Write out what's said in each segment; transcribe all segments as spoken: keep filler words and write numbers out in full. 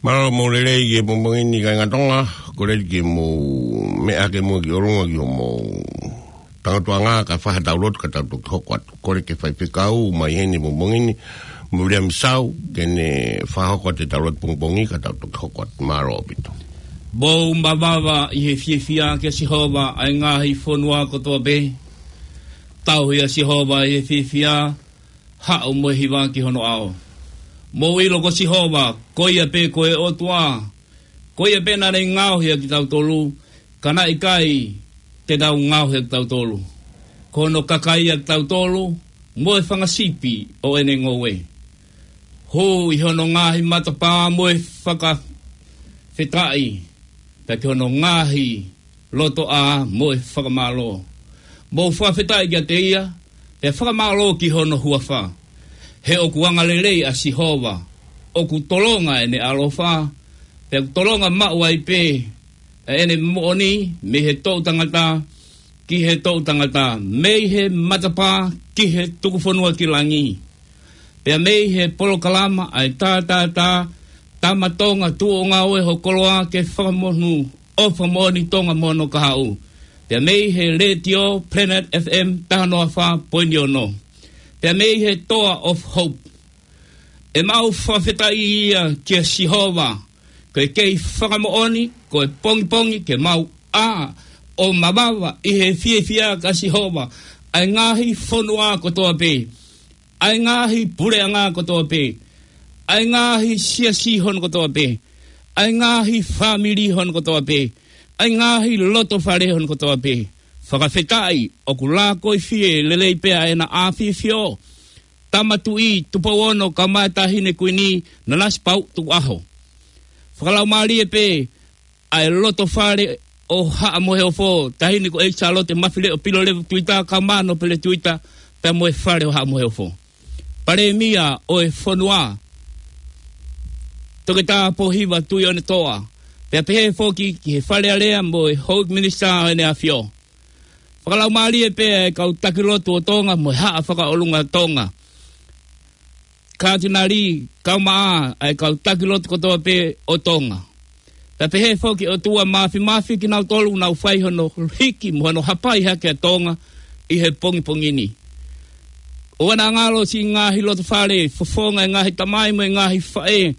Mālō mo e lelei ki he pongipongi ni kāinga Tonga, kole ke mou meʻa ke mou ki ʻolunga ki hoʻomou tangatuʻanga kae fai haʻatau lotu ka tau toki hoko atu. Kole ki he faifekau mai heni he pongipongi ni, Miriam Sau, ke ne fakahoko atu ʻetau lotu pongipongi ka tau toki hoko atu. Mālō ʻaupito. Mou mavava ʻi he fiefia kia Sihova ʻa e ngaahi fonua kotoa pē. Tauhi ʻa Sihova ʻi he fiefia, haʻu mo e hiva ki hono ʻao. Mou ʻilo ko Sihova, ko ia pē ko e ʻOtua, ko ia pē naʻa ne ngaohi ʻa kitautolu, ka naʻe ʻikai te tau ngaohi ʻa kitautolu. Ko hono kakai ʻa kitautolu, mo e fanga sipi ʻo ʻene ngoue. Hū ʻi hono ngaahi matapā mo e fakafetaʻi, pea ki hono ngaahi lotoʻā mo e fakamālō. Mou fakafetaʻi kiate ia, pea fakamālō ki hono huafa. He ʻoku angalelei ʻa Sihova, ʻoku tolonga ʻene ʻaloʻofa, pea ʻoku tolonga maʻu ai pē ʻa ʻene moʻoni mei he toʻutangata ki he toʻutangata, mei he matapā ki he tukufonua ki langi. Pea mei he polokalama ʻa e Tātātā, Tama Tonga, Tuʻo Ngāue ho Koloa ke Fakamonū, ʻo fakamoʻoni Tonga mo hono kahaʻu. Pea mei he Letiō Planet F M taha noa fā poini ono. Pea mei he Toa of Hope. ʻE mau fakafetaʻi ia kia Sihova, ko e kei fakamoʻoni, ko e pongipongi ke mau ʻā ʻo mavava ʻi he fiefia kia Sihova, ʻa e ngaahi fonua kotoa pē, ʻa e ngaahi puleʻanga kotoa pē, ʻa e ngaahi siasi hono kotoa pē, ʻa e ngaahi fāmili hono kotoa pē, ʻa e ngaahi lotofale hono kotoa pē. Fakafetaʻi, ʻoku lākoifie lelei pē ʻa ʻEna ʻAfifio, Tama Tuʻi Tupou Ono kae ʻumaʻā Taʻahine Kuini Nanasipauʻu Tukuʻaho. Fakalaumālie pē ʻa e lotofale ʻo Haʻa Moheofo, Taʻahine ko ʻEiki Sālote Mafileʻo Pilolevu Tuita kae ʻumaʻā Nōpele Tuita, pea mo e fale ʻo Haʻa Moheofo. Palēmia ʻo e fonua, Toketā Pōhiva Tuʻiʻonetoa, pea pehē foki ki he Fale Alea mo e Houʻeiki Minisitā ʻo ʻEne ʻAfio. Fakalaumālie pē ʻa e kau taki lotu ʻo Tonga mo e Haʻa Fakaʻolunga Tonga. Katinali, kae ʻumaʻā ʻa e kau taki lotu kotoa pē ʻo Tonga. Pea pehē foki ʻOtua Māfimafi kinautolu ʻoku nau fai hono hiki mo hono hapai hake ʻa Tonga ʻi he pongipongi ni. ʻOua naʻa ngalo siʻi ngaahi lotofale, fofonga e ngaahi tamai mo e ngaahi faʻē,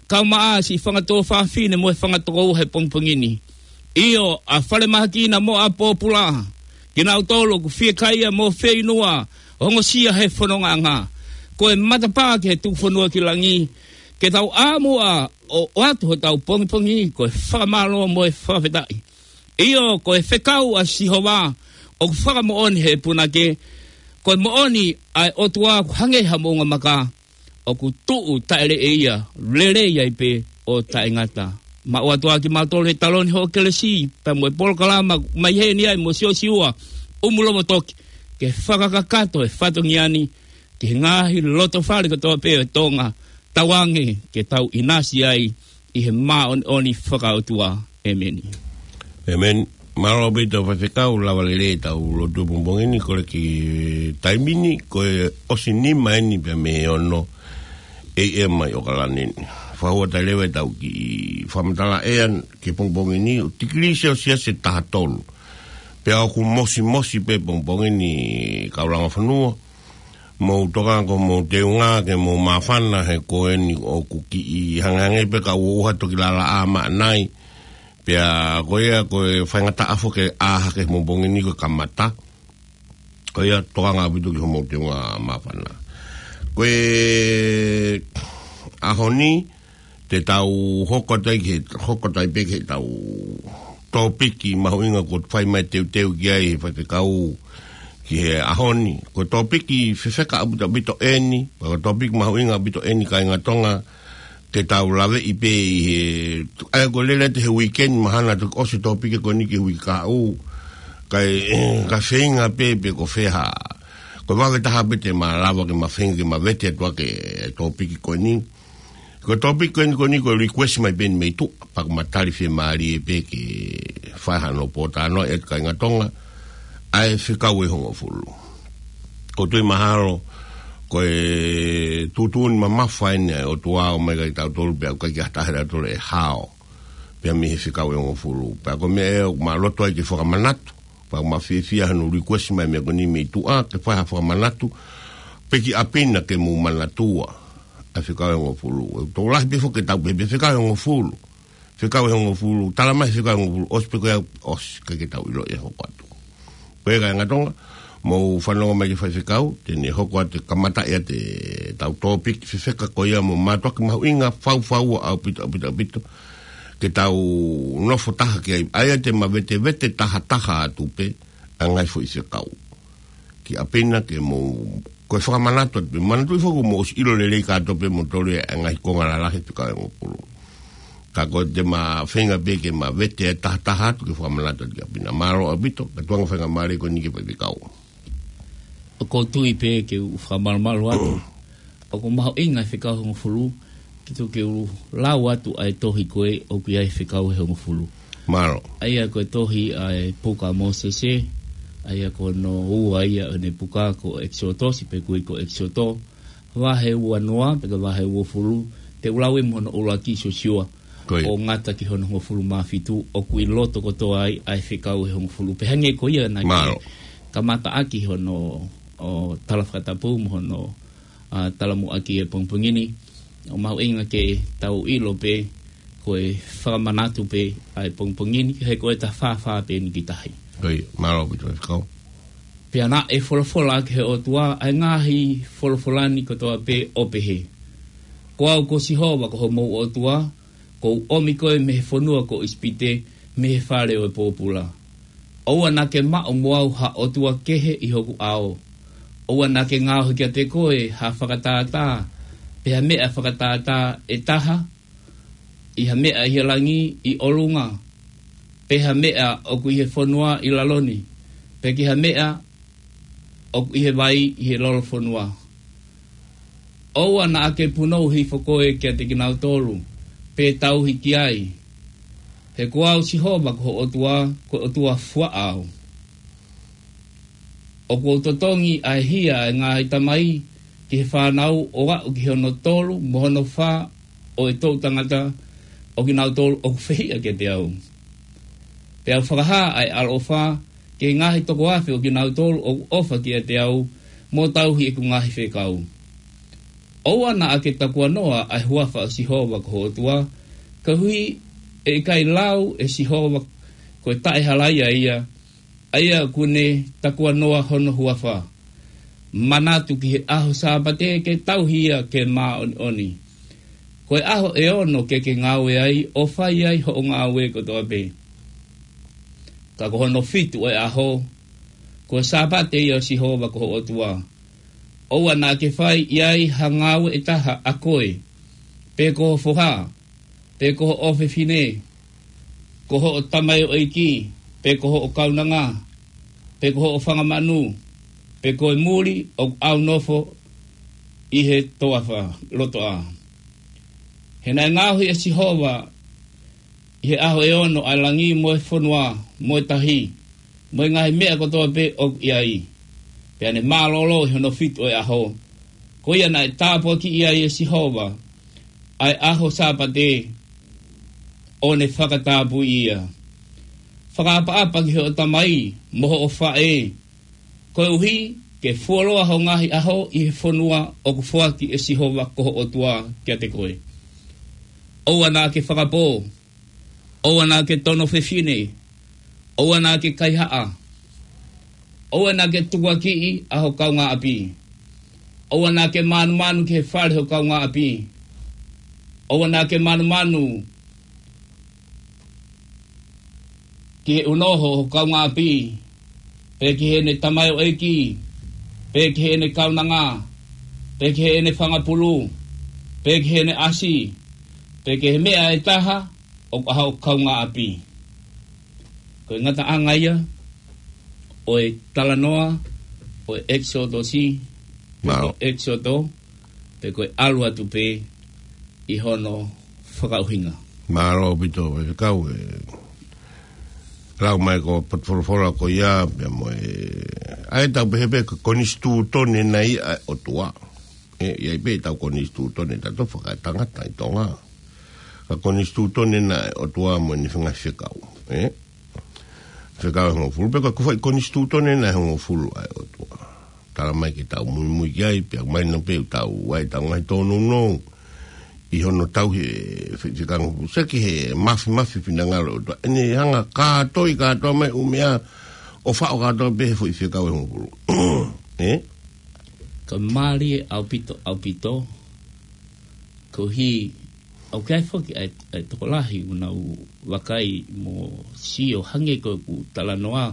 kae ʻumaʻā siʻi fanga tuofāfine mo e fanga tokoua he pongipongi ni. ʻIo, ʻa Falemahakina mo ʻa Pōpula, kinautolu ʻoku fiekaia mo fieinua, ongosia he fonongaʻanga. Ko e matapā ki he tukufonua ki langi, ke tau ʻā muʻa ʻo ʻoatu hotau pongipongi, ko e fakamālō mo e fakafetaʻi. ʻIo, ko e fekau ʻa Sihova, ʻoku fakamoʻoni he punake, ko e moʻoni ʻa e ʻOtua ʻoku hangē ha moʻunga maka, ʻoku tuʻu taʻeleʻeia, lelei ai pē ʻo taʻengata. Maʻu atu ʻa kimautolu he taloni hoʻo kelesi, pea mo e polokalama mai heni ai mo Siosiua ʻUmulovotoki, ke fakakakato e fatongia ni ki he ngaahi lotofale kotoa pē ʻo Tonga, tauange ke tau ʻinasi ai ʻi he māʻoniʻoni fakaʻotua. ʻEmeni. ʻEmeni. Mālō ʻaupito faifekau, lava lelei ʻetau lotu pongipongi ni, kole ki he taimi ni, ko e ʻosi nima eni pea mei he ono A M mai ʻOkalani ni. Fakahua atu leva ʻetau kiʻi fakamatala ʻea ki he pongipongi ni, ʻo tikilī Selsiasi ʻe taha tolu. Pea ʻoku mosimosi pē pongipongi ni kau langa fonua. Mou tokanga ko hoʻomou teunga ke mou māfana he ko eni ʻoku kiʻi hangehangē pē ka ʻoku ʻuha toki lalaʻā maʻanai. Pea ko ia ko e faingataʻa foki ke ʻā hake he pongipongi ni ko e kamata. Ko ia tokanga ʻaupito ki hoʻomou teunga māfana. Ko e ʻaho ni, te tau hoko atu ai ki he, hoko atu ai pē ki heʻetau tōpiki mahuʻinga kuo fai mai teuteu ki ai he faifekau ki he ʻaho ni. Ko e tōpiki fefeka ʻaupito ʻaupito eni, pea ko e tōpiki mahuʻinga ʻaupito eni kāinga Tonga, ke tau laveʻi pē ʻi he, ʻa ia ko e lele atu he weekend mahalo toki ʻosi tōpiki ko eni ki he uike kahaʻu, kae, kae feinga pē pe ko fē ha. Ko e vave taha pē te ma lava ke ma feinga ke ma vete atu ʻaki e tōpiki ko eni. Ko e tōpiki ko eni, ko eni ko e request mai pē eni mei tuʻa, pea ʻoku ma tali fiemālie pē ke fai hano pōtalanoaʻi atu kāinga Tonga, ʻa e fekau ʻe hongofulu. ʻOku ou tui mahalo, Ko e tuʻutuʻuni mamafa eni ʻa e ʻOtua ʻo ʻomai kiate kitautolu pea ʻoku ʻikai ke ʻi ai ha taha ʻiate kitautolu ʻe hao. Pea mei he fekau ʻe hongofulu. Pea ko e meʻa ʻoku ma loto ai ke fakamanatu. Pea ʻoku ma fiefia hono request mai meʻa ko eni mei tuʻa, ke fai ha fakamanatu. Pe ki ʻapi na ke mou manatua ʻa e fekau ʻe hongofulu. ʻOku tokolahi pē foki ke tau pehē pē fekau ʻe hongofulu. Fekau ʻe hongofulu, tala mai fekau ʻe hongofulu, ʻosi pē ko ia, ʻosi, ʻikai ke tau ʻilo ʻe hoko atu. Ko ia kāinga Tonga, mou fanongo mai ki he faifekau, te ne hoko atu e kamata ia ʻetau topic, fefeka ko ia mo mātuʻaki mahuʻinga, faufaua ʻaupito, ʻaupito, ʻaupito. Ke tau nofo taha ki ai, ʻa ia te ma vetevete tahataha atu pē, ʻa e ngaahi foʻi fekau. Ki ʻapi na ke mou, ko e fakamanatu atu pē, manatuʻi foki mou ʻosi ʻilo lelei kātoa pē mo tole ʻa e ngaahi konga lalahi fekau ʻe hongofulu. Ka ko e te ma feinga pē ke ma vete ʻa e tahataha atu ke fakamanatu atu ki ʻapi na. Mālō ʻaupito, ka tuʻunga faingamālie ko eni ki he faifekau. ʻOku ou tui pē ke u fakamalumalu atu. ʻOku mahuʻinga e fekau ʻe hongofulu, ke tuku ke u lau atu ʻa e tohi ko ē ʻoku ʻi ai e fekau ʻe hongofulu. Mālō. ʻA ia ko e tohi ʻa e puka ʻa Mōsese, ʻa ia ko hono ua ia ʻo ʻene puka ko ʻEkisotosi pe ko e ko ʻEkisoto, vahe ua noa, pe ko e vahe uofulu, te u lau ia mo hono ʻuluaki Siosiua, Ko ia. ʻo ngata ki hono hongofulu mā fitu, ʻoku ʻi loto kotoa ai ʻa e fekau ʻe hongofulu. Pea hangē ko ia naʻa ke Mālō. kamata ʻaki hono, ʻo tala fakatapu mo hono, ʻa, talamuʻaki ʻa e pongipongi ni. ʻOku mahuʻinga ke tau ʻilo pē, ko e fakamanatu pē ʻa e pongipongi ni, he ko e ta fāfā pē eni ki tahi. Ko ia, mālō ʻaupito faifekau. Pea naʻe folofola ʻaki ʻe he ʻOtua ʻa e ngaahi folofola ni kotoa pē ʻo pehē: Ko au ko Sihova ko homou ʻOtua, kuo u ʻomi koe mei he fonua ko ʻIsipite, mei he fale ʻo e pōpula. ʻOua naʻa ke maʻu mo au ha ʻotua kehe ʻi hoku ʻao. ʻOua naʻa ke ngaohi kiate koe ha fakatātā, pe ha meʻa fakatātā ʻe taha, ʻi ha meʻa ʻi he langi ʻi ʻolunga, pe ha meʻa ʻoku ʻi he fonua ʻi lalo ni, pe ki ha meʻa ʻoku ʻi he vai ʻi he lolofonua. ʻOua naʻa ke punou hifo koe kiate kinautolu, pe tauhi ki ai. He ko au Sihova ko ho ʻOtua, ko e ʻOtua fuaʻa au. ʻOku ou totongi ʻa e hia ʻa e ngaahi tamai ki he fānau ʻo aʻu ki hono tolu mo hono fā ʻo e toʻu tangata ʻo kinautolu ʻoku fehiʻa kiate au. Pea u fakahā ʻa e ʻaloʻofa ki he ngaahi toko afe ʻo kinautolu ʻoku ʻofa kiate au mo tauhi ʻeku ngaahi fekau. ʻOua naʻa ke takuanoa ʻa e huafa ʻo Sihova ko ho ʻOtua, koeʻuhi ʻe ʻikai lau ʻe Sihova ko e taʻehalaia ia, ʻa ia ʻoku ne takuanoa hono huafa. Manatu ki he ʻaho Sāpate ke tauhi ia ke māʻoniʻoni. Ko e ʻaho ʻe ono ke ke ngāue ai, ʻo fai ai hoʻo ngāue kotoa pē. Ka ko hono fitu ʻo e ʻaho, ko e Sāpate ia ʻo Sihova ko ho ʻOtua. ʻOua naʻa ke fai ʻi ai ha ngāue ʻe taha ʻa koe, pe ko ho foha, pe ko hoʻo fefine, ko hoʻo tamaioʻeiki, pe ko hoʻo kaunanga, pe ko hoʻo fanga manu, pe ko e muli ʻoku ʻaunofo ʻi he toafa lotoʻā. He naʻe ngaohi ʻe Sihova ʻi he ʻaho ʻe ono ʻa e langi mo e fonua, mo e tahi, mo e ngaahi meʻa kotoa pē ʻoku ʻi ai. Pea ne mālōlō ʻi hono fitu ʻo e ʻaho. Ko ia naʻe tāpuakiʻi ai ʻe Sihova ʻa e ʻaho Sāpate, ʻo ne fakatapui ia. Fakaʻapaʻapa ki hoʻo tamai mo hoʻo faʻē, koeʻuhi ke fuoloa ho ngaahi ʻaho ʻi he fonua ʻoku foaki ʻe Sihova ko ho ʻOtua kiate koe. ʻOua naʻa ke fakapō, ʻoua naʻa ke tono fefine, ʻoua naʻa ke kaihaʻa, ʻoua naʻa ke tukuakiʻi ʻa ho kaungāʻapi, ʻoua naʻa ke mānumanu ki he fale ho kaungāʻapi, ʻoua naʻa ke mānumanu ki he ʻunoho ho kaungāʻapi, pe ki heʻene tamaioʻeiki, pe ki heʻene kaunanga, pe ki heʻene fanga pulu, pe ki heʻene ʻasi, pe ki he meʻa ʻe taha ʻoku ʻa ho kaungāʻapi. Ko e ngataʻanga ia ʻo e talanoa ʻo e ʻEkisotosi, pe ko Mālō. ʻEkisoto, pe ko e ʻalu atu pē ʻi hono fakaʻuhinga. Mālō ʻaupito, faifekau, ʻe lau mai ko e potufolofola ko ia, pea mo e, ʻa ia tau pehē pē ko e konisitūtone nai ʻa e ʻOtua. ʻE, ʻi ai pē ʻetau konisitūtone ʻatautolu fakaetangata ʻi Tonga. Ka konisitūtone naʻe ʻOtua mo ʻene ngaahi fekau. ʻE? Fekau ʻe hongofulu pē ko e foʻi konisitūtone naʻe hongofulu ʻa e ʻOtua. Tala mai ke tau muimui ki ai, pea mahino pē ʻoku tau ʻi ai ʻetau ngaahi tōnounou ʻi hono tauhi e foʻi fekau ʻe hongofulu. Seki he mafimafi finangalo ʻo e ʻOtua. ʻEne hanga kātoi kātoa mai ʻū meʻa ʻo faʻo kātoa pē he foʻi fekau ʻe hongofulu. ʻE? Ka mālie ʻaupito, ʻaupito. Koeʻuhi, ʻoku ʻi ai foki ʻa e, ʻa e tokolahi ʻoku nau vakai mo sio hangē ko ʻeku talanoa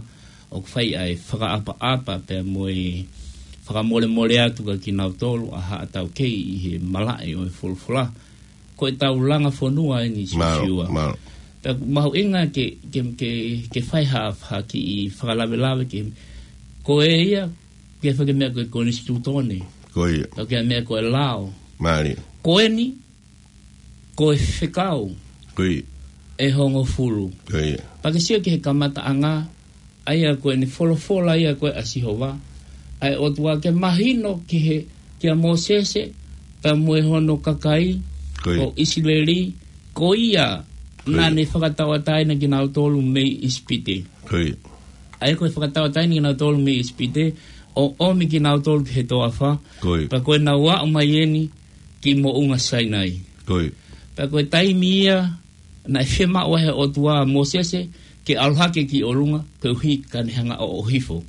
ʻoku fai ʻa e fakaʻapaʻapa pea mo e fakamolemole atu kia kinautolu ʻa haʻa taukei ʻi he malaʻe ʻo e folofola. Ko ʻetau langa fonua eni, Mālō, Siosiua. Mālō. Pea ʻoku mahuʻinga ke, ke, ke, ke fai ha, ha kiʻi fakalavelave ke, ko e ia, ke fai ke meʻa ko e konisitūtone. Ko ia. Pea ke meʻa ko e lao. Mālie. Ko eni, ko e fekau. Ko ia. ʻE hongofulu. Ko ia. Pea ke sio ki he kamataʻanga, ʻa ia ko ʻene folofola ia ko ē ʻa Sihova, ʻa e ʻOtua ke mahino ki he, kia Mōsese, pea mo e hono kakai, Ko ia. ʻo ʻIsileli, ko ia Ko ia. naʻa ne fakatauʻatāina kinautolu mei ʻIsipite. Ko ia. ʻA ia ko e fakatauʻatāina kinautolu mei ʻIsipite, ʻo ʻomi kinautolu ki he toafa, Ko ia. pea ko ʻenau aʻu mai eni ki moʻunga Sainai. Ko ia. Pea ko e taimi ia, naʻe fiemaʻu ai ʻe he ʻOtua ʻa Mōsese ke ʻalu hake ki ʻolunga, koeʻuhi ka ne hanga ʻo ʻohifo.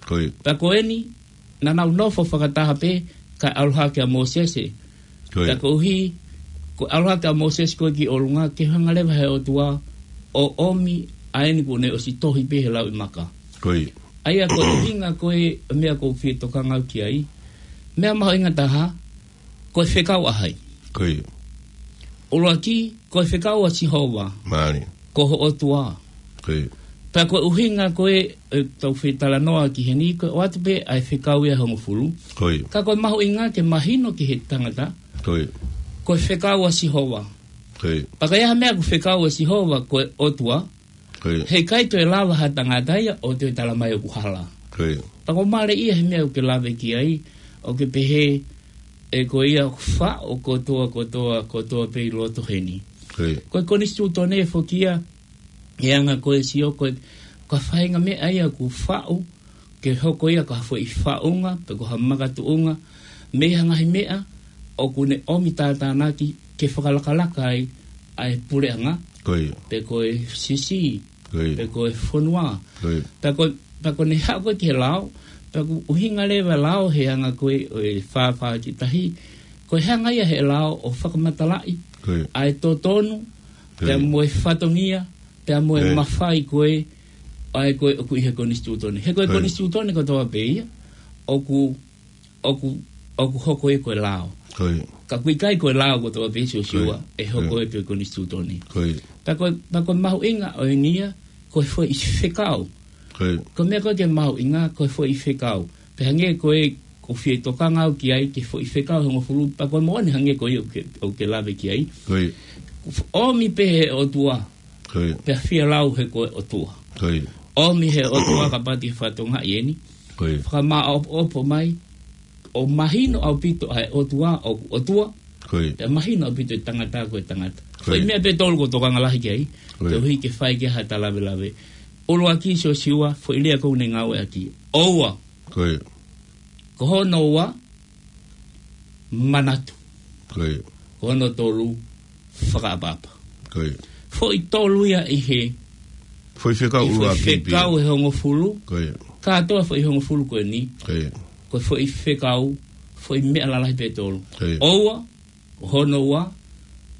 Ko ia. Pea ko eni, naʻa nau nofo fakataha pē, kae ʻalu hake ʻa Mōsese. Ko ia. Pea koeʻuhi, ko e ʻalu hake ʻa Mōsese ko ē ki ʻolunga, ke hanga leva ʻe he ʻOtua ʻo ʻomi ʻa eni kuo ne ʻosi tohi pē he lauʻi maka. Ko ia. ʻA ia ko e ʻuhinga ko e meʻa ʻoku ou fie tokanga au ki ai. Meʻa mahuʻinga taha, ko e fekau ʻa hai? Ko ia. ʻUluaki, ko e fekau ʻa Sihova. Mālie. Ko ho ʻOtua. Ko ia. Pea ko e ʻuhinga ko ē, ʻetau fetalanoa ki heni, ko e ʻoatu pē ʻa e fekau ia ʻe hongofulu. Ko ia. Ka ko e mahuʻinga ke mahino ki he tangata. Ko ia. Ko e fekau ʻa Sihova. Ko ia. Pea ka ʻi ai ha meʻa ʻoku fekau ʻa Sihova, ko e ʻOtua. Ko ia. Heʻikai toe lava ha tangata ia ʻo toe tala mai ʻoku hala. Ko ia. Pea ʻoku mālie ia he meʻa ʻoku ke lave ki ai, ʻoku ke pehē, ʻe ko ia ʻoku faʻo kotoa, kotoa, kotoa pē ʻi loto heni. Ko ia. Ko e konisitūtone foki ia, he anga ko e sio ko e, ko e faʻahinga meʻa ia ʻoku faʻo, ke hoko ia ko ha foʻi faʻunga, pe ko ha makatuʻunga, mei ha ngaahi meʻa ʻoku ne ʻomi tātānaki ke fakalakalaka ai ʻa e puleʻanga, Ko ia. pe ko e sisi, Ko ia. pe ko e fonua. Ko ia. Pea ko, pea ko ʻene haʻu ko ē ki he lao, pea ʻoku ʻuhinga leva e lao he anga ko ē ʻo e fāfā ki tahi, ko e hanga ia he lao ʻo fakamatalaʻi Ko ia. ʻa e totonu, Ko pea ia. mo e fatongia, pea mo e Ko ia. mafai ko ē, ʻa ē ko ē ʻoku ʻi he konisitūtone. He ko e Ko ia. konisitūtone kotoa pē ia, ʻoku, ʻoku, ʻoku hoko ia ko e lao. Ko ia. Ka ʻoku ʻikai ko e lao kotoa pē, Siosiua, Ko ia. ʻe hoko Ko ia. ia ko e konisitūtone. Ko ia. Pea ko, pea ko e mahuʻinga ʻo eni ia, ko e foʻi fekau. Ko ia. Ko e meʻa ko ē ke mahuʻinga, ko e foʻi fekau. Pea hangē ko ē ʻoku ou fie tokanga au ki ai, ki he foʻi fekau ʻe hongofulu, pea ko e moʻoni hangē ko ia ʻoku ke, ʻoku ke lave ki ai. Ko ia. ʻOmi pē ʻe he ʻOtua. Ko ia. Pea fie lau he ko e ʻOtua. Ko ia. ʻOmi ʻe he ʻOtua kapau te ke fakatokangaʻi eni. Ko ia. Fakamāʻopoʻopo mai, ʻo mahino ʻaupito ʻa e ʻOtua ʻoku ʻOtua. Ko ia. Pea mahino ʻaupito e tangata ko e tangata. Ko ia. Foʻi meʻa pē ʻe tolu ʻoku ou tokanga lahi ki ai. Ko ia. Koeʻuhi ke fai ki ai haʻata lavelave. ʻUluaki, Siosiua, foʻi lea ʻoku ne ngāueʻaki. ʻOua. Ko ia. Ko hono ua, manatu. Ko ia. Ko hono tolu, fakaʻapaʻapa. Ko ia. Foʻi tolu ia ʻi he, Foʻi fekau ʻi he foʻi ʻuluaki pē. fekau ʻe hongofulu. Ko ia. Kātoa foʻi hongofulu ko eni. Ko ia. Ko e foʻi fekau, foʻi meʻa lalahi pē ʻe tolu. Ko ia. ʻOua, ko hono ua,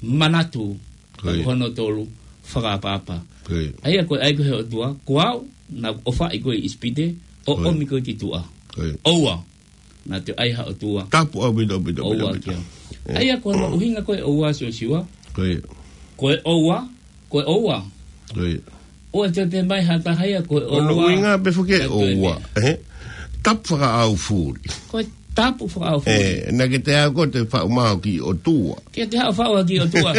manatu, Ko ia. ko hono tolu, fakaʻapaʻapa. Ko ia. ʻA ia ko e ʻai ko ē ʻe he ʻOtua, ko au, naʻa ku ʻofaʻi koe ʻi ʻIsipite, ʻo Ko ia. ʻomi koe ki tuʻa. Ko ia. ʻOua, naʻa te ʻai ha ʻOtua. Tapu ʻaupito, ʻaupito, ʻaupito, ʻOua ʻaupito. kia. ʻIo. ʻA ia ko hono ʻuhinga ko e ʻoua, Siosiua. Ko ia. Ko e ʻoua, ko e ʻoua. Ko ia. ʻOua te te mai ha taha ia ko e Ko hono ʻoua. ʻuhinga pē foki e Ka ko e ʻoua. meʻa. He? Tapu fakaʻaufuli. Ko e tapu fakaʻaufuli. ʻE, naʻa ke te haʻu koe ʻo te faʻu mai ha kiʻi ʻOtua. Ke te haʻu faʻu ha kiʻi ʻOtua.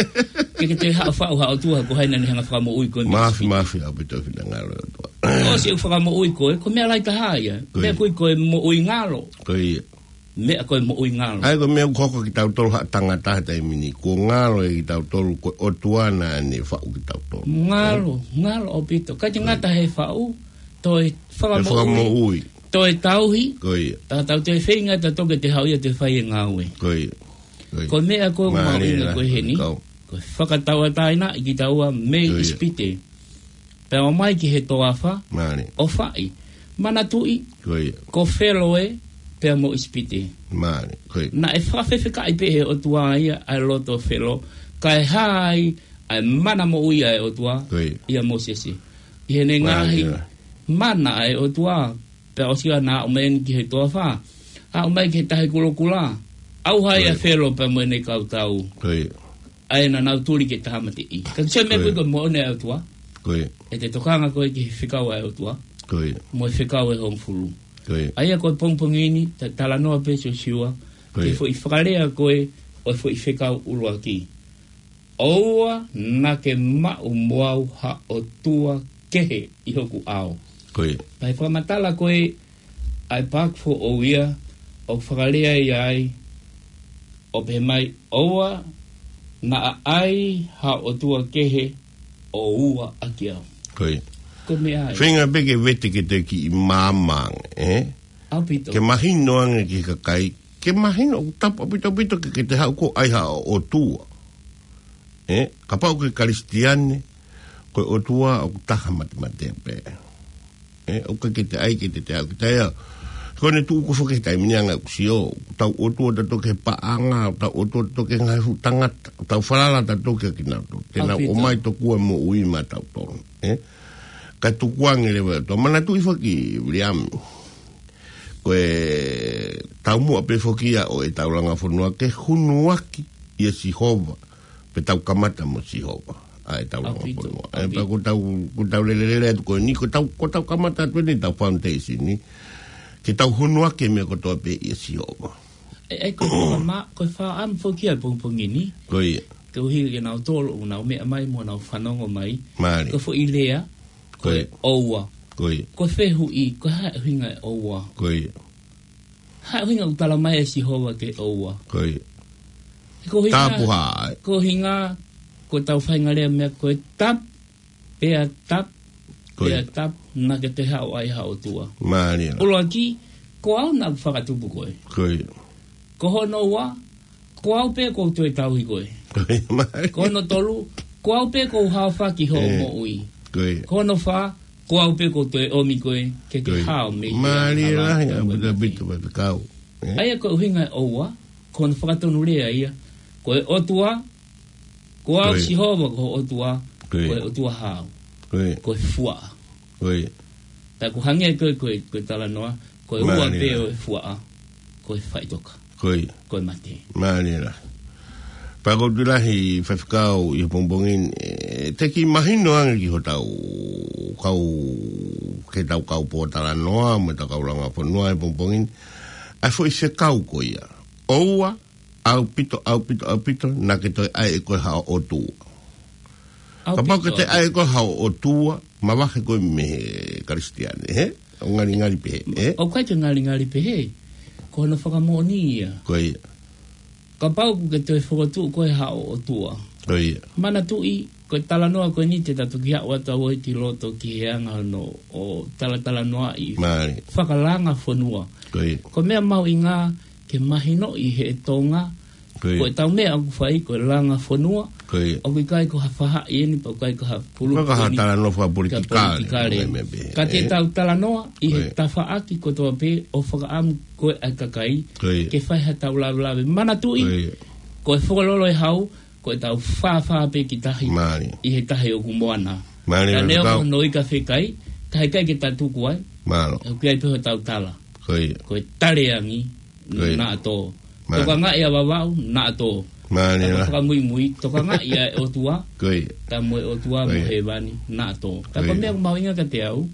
Ke, ke te haʻu faʻu ha ʻOtua, ko hai naʻa ne hanga fakamoʻui koe mei Māfi, ʻIsipite. māfi, ʻaupito finangalo ʻOtua. ʻOsi ʻeku fakamoʻui koe, ko e meʻa lahi taha ia. Ko ia. Meʻa ko ē ko e moʻui ngalo. Ko ia. meʻa ko e moʻui ngalo. ʻA ia ko e meʻa ʻoku hoko kia kitautolu ha tangata he taimi ni, kuo ngalo ʻia kitautolu ko e ʻOtua naʻa ne faʻu kitautolu. Ngalo, ngalo ʻaupito. Kae ʻikai ke ngata he faʻu, toe fakamoʻui. Toe fakamoʻui. Toe tauhi. Ko ia. Taha tau toe feinga tautolu ke toe haʻu ia ʻo toe fai e ngāue. Ko ia. Ko ia. Ko e meʻa ko e Mālie mahuʻinga la, ko e heni. Kau. Ko e fakatauʻatāinaʻi kitaua mei Ko ia. ʻIsipite. Pea ō mai ki he toafa, Mālie. ʻo fai. Manatuʻi, Ko ia. ko Felo ē, pea mo ʻIsipite. Mālie. Ko ia. Naʻe fakafefekaʻi pē he ʻOtua ia ʻa e loto ʻo Felo, kae hā ai ʻa e mana moʻui ʻa e ʻOtua, Ko ia. ʻia Mōsese. ʻI heʻene Mālie ngaahi la. mana ʻa e ʻOtua, pea ʻosi ia naʻa aʻu mai eni ki he toafa. Aʻu mai ki he tahi kulokula. ʻAuha ai ʻa Ko ia. Felo pea mo ʻene kau tau. Ko ia. ʻA ia naʻa nau tuli ke tāmateʻi. Ka ko e meʻa Ko ia. ko ē ko e moʻoni ʻa e ʻOtua. Ko ia. ʻE te tokanga koe ki he fekau ʻa e ʻOtua. Ko ia. Mo e fekau ʻe hongofulu. Ko ia. ʻA ia ko e pongipongi ni, ta-, talanoa pē Siosiua, Ko ki he ia. foʻi fakalea ko ē, ʻo e foʻi fekau ʻuluaki. ʻOua naʻa ke maʻu mo au ha ʻotua kehe ʻi hoku ʻao. Ko ia. Pea ʻi he fakamatala ko ē ʻa e paaki foʻou ia, ʻoku fakalea ia ai, ʻo pehē mai, ʻoua naʻa ʻai ha ʻotua kehe ʻo ua ʻaki au. Ko ia. Ko e meʻa ia. Feinga pē ke vete ke te kiʻi maama ange, ē? ʻAupito. Ke mahino ange ki he kakai, ke mahino ʻoku tapu ʻaupito ʻaupito ke, ke te haʻu ʻo ʻai ha ʻotua. Ē, kapau ko e Kalisitiane, ko e ʻOtua ʻoku taha matemate pē. Ē, ʻoku ʻikai ke te ʻai ke te te haʻu ki taia. Ko ʻene tuʻu ko ē foki he taimi ni ʻa e ngaahi ʻū sio, ʻoku tau ʻotua tautolu ki he paʻanga, ʻoku tau ʻotua tautolu ki he ngaahi fuʻu tangata, ʻoku tau falala tautolu kia kinautolu. Te nau ʻAupito. ʻomai tokua e moʻui maʻatautolu. Ē, kae tukuange leva ʻe he ʻOtua. Manatuʻi foki, Viliami. Ko e taumuʻa pē foki ia ʻo ʻetau langa fonua ke hunuaki ʻia Sihova, pe tau kamata mo Sihova, ʻa ʻetau langa ʻAupito, fonua. ʻE, ʻaupito. Pea ko ʻetau, ko ʻetau lelelele atu ko eni, ko ʻetau, ko ʻetau kamata atu eni ʻetau foundation ni, ke tau hunuaki e meʻa kotoa pē ʻia Sihova. ʻE, ʻe, ko e fakama-, ko e fakaʻamu foki ʻa e pongipongi ni. Ko ia. Ke ʻuhi ke nau tolo, ʻo nau meʻa mai mo nau fanongo mai. Mālie. Ko e foʻi lea, Ko ia. Ko e ʻoua. Ko ia. Ko e fehuʻi, ko e hā e ʻuhinga e ʻoua. Ko ia. Hā e ʻuhinga ʻoku tala mai ʻe Sihova ke ʻoua. Ko ia. Ko e ʻuhinga, Tapu hā, ē? ko e ʻuhinga, ko ʻetau faʻahinga lea meʻa, ko e tapu, pea tapu, Ko pea ia. tapu, naʻa ke toe haʻu ʻo ʻai ha ʻotua. Mālie. ʻUluaki, ko au naʻa ku fakatupu koe. Ko ia. Ko hono ua, ko au pē ʻoku ou toe tauhi koe. Ko ia, mālie. Ko hono tolu, ko au pē ʻoku ou haofaki hoʻo Ē. moʻui. Ko ia. Ko hono fā, ko au pē ʻoku ou toe ʻomi koe, ke ke Ko ia. hao mei he Mālie hala lahi, ʻa e ʻaupito, ʻaupito, ʻaupito, kau. Ē? ʻA ia ko e ʻuhinga e ʻoua, ko hono fakatonulea ia. Ko e ʻOtua, ko au Ko ia. Sihova ko ho ʻOtua, Ko ia. ko e ʻOtua hao. Ko ia. Ko e fuaʻa. Ko ia. Tā ko e hangē ko e, ko e, ko e talanoa, ko e ua Mālie pē lahi. ʻo e fuaʻa, ko e faʻitoka. Ko ia. Ko e mate. Mālie lahi. Pea ʻoku ou tui lahi Faifekau ʻi he pongipongi ni, ʻe, te ke mahino ange ki hotau kau, ki heʻetau kau pōtalanoa, mo ʻetau kau langa fonua he pongipongi ni, ʻa e foʻi fekau ko ia. ʻOua, ʻaupito, ʻaupito, ʻaupito, naʻa ke toe ʻai ʻe koe ha ʻotua. Kapau ke te ʻAupito. ʻai ʻe koe ha ʻotua, mavahe koe mei he Kalisitiane, hē? ʻOku ngalingali pehē, ē? ʻOku ʻikai ke ngalingali pehē. Ko hono fakamoʻoni ia. Ko ia. Kapau ʻoku ke toe fokotuʻu koe ha ʻotua. Ko ia. Manatuʻi, ko e talanoa ko eni te ta toki haʻu atu ʻo ʻai ki loto ki he anga hono ʻo talatalanoaʻi Mālie. fakalanga fonua. Ko ia. Ko e meʻa mahuʻinga ke mahinoʻi he Tonga, Ko ia. ko ʻetau meʻa ʻoku fai, ko e langa fonua, Ko ia. ʻoku ʻikai ko ha faʻahi eni, pe ʻoku ʻikai ko ha pulu Ko e ka ha eni, talanoa fakapolitikale, ka politikale. mo e meʻa pehē, Ka te ē? tau talanoa ʻi he Ko ia. tafaʻaki kotoa pē ʻo fakaʻamu ko ē ʻa e kakai, Ko ia. ke fai haʻatau lavelave. Manatuʻi, Ko ia. ko e Fokololo ʻe Hau, ko ʻetau fāfā pē ki tahi, Mālie. ʻi he tahi ʻoku moana. Mālie, Ka ne ʻoku Faifekau. noʻo ika fekai, ka heʻikai ke ta tuku ai, Mālō. ʻoku ʻi ai pē hotau tala. Ko ia. Ko e tale angi, Ko ia. naʻa tō. Mālie. Tokangaʻi ʻa Vavaʻu, naʻa tō. Mālie Ka la. fakamuimui, tokangaʻi ʻa e ʻOtua, Ko ia. tā mo e ʻOtua Ko mo ia. hēvani, naʻa tō. Tā Ko ko e ia. meʻa ʻoku mahuʻinga kiate au,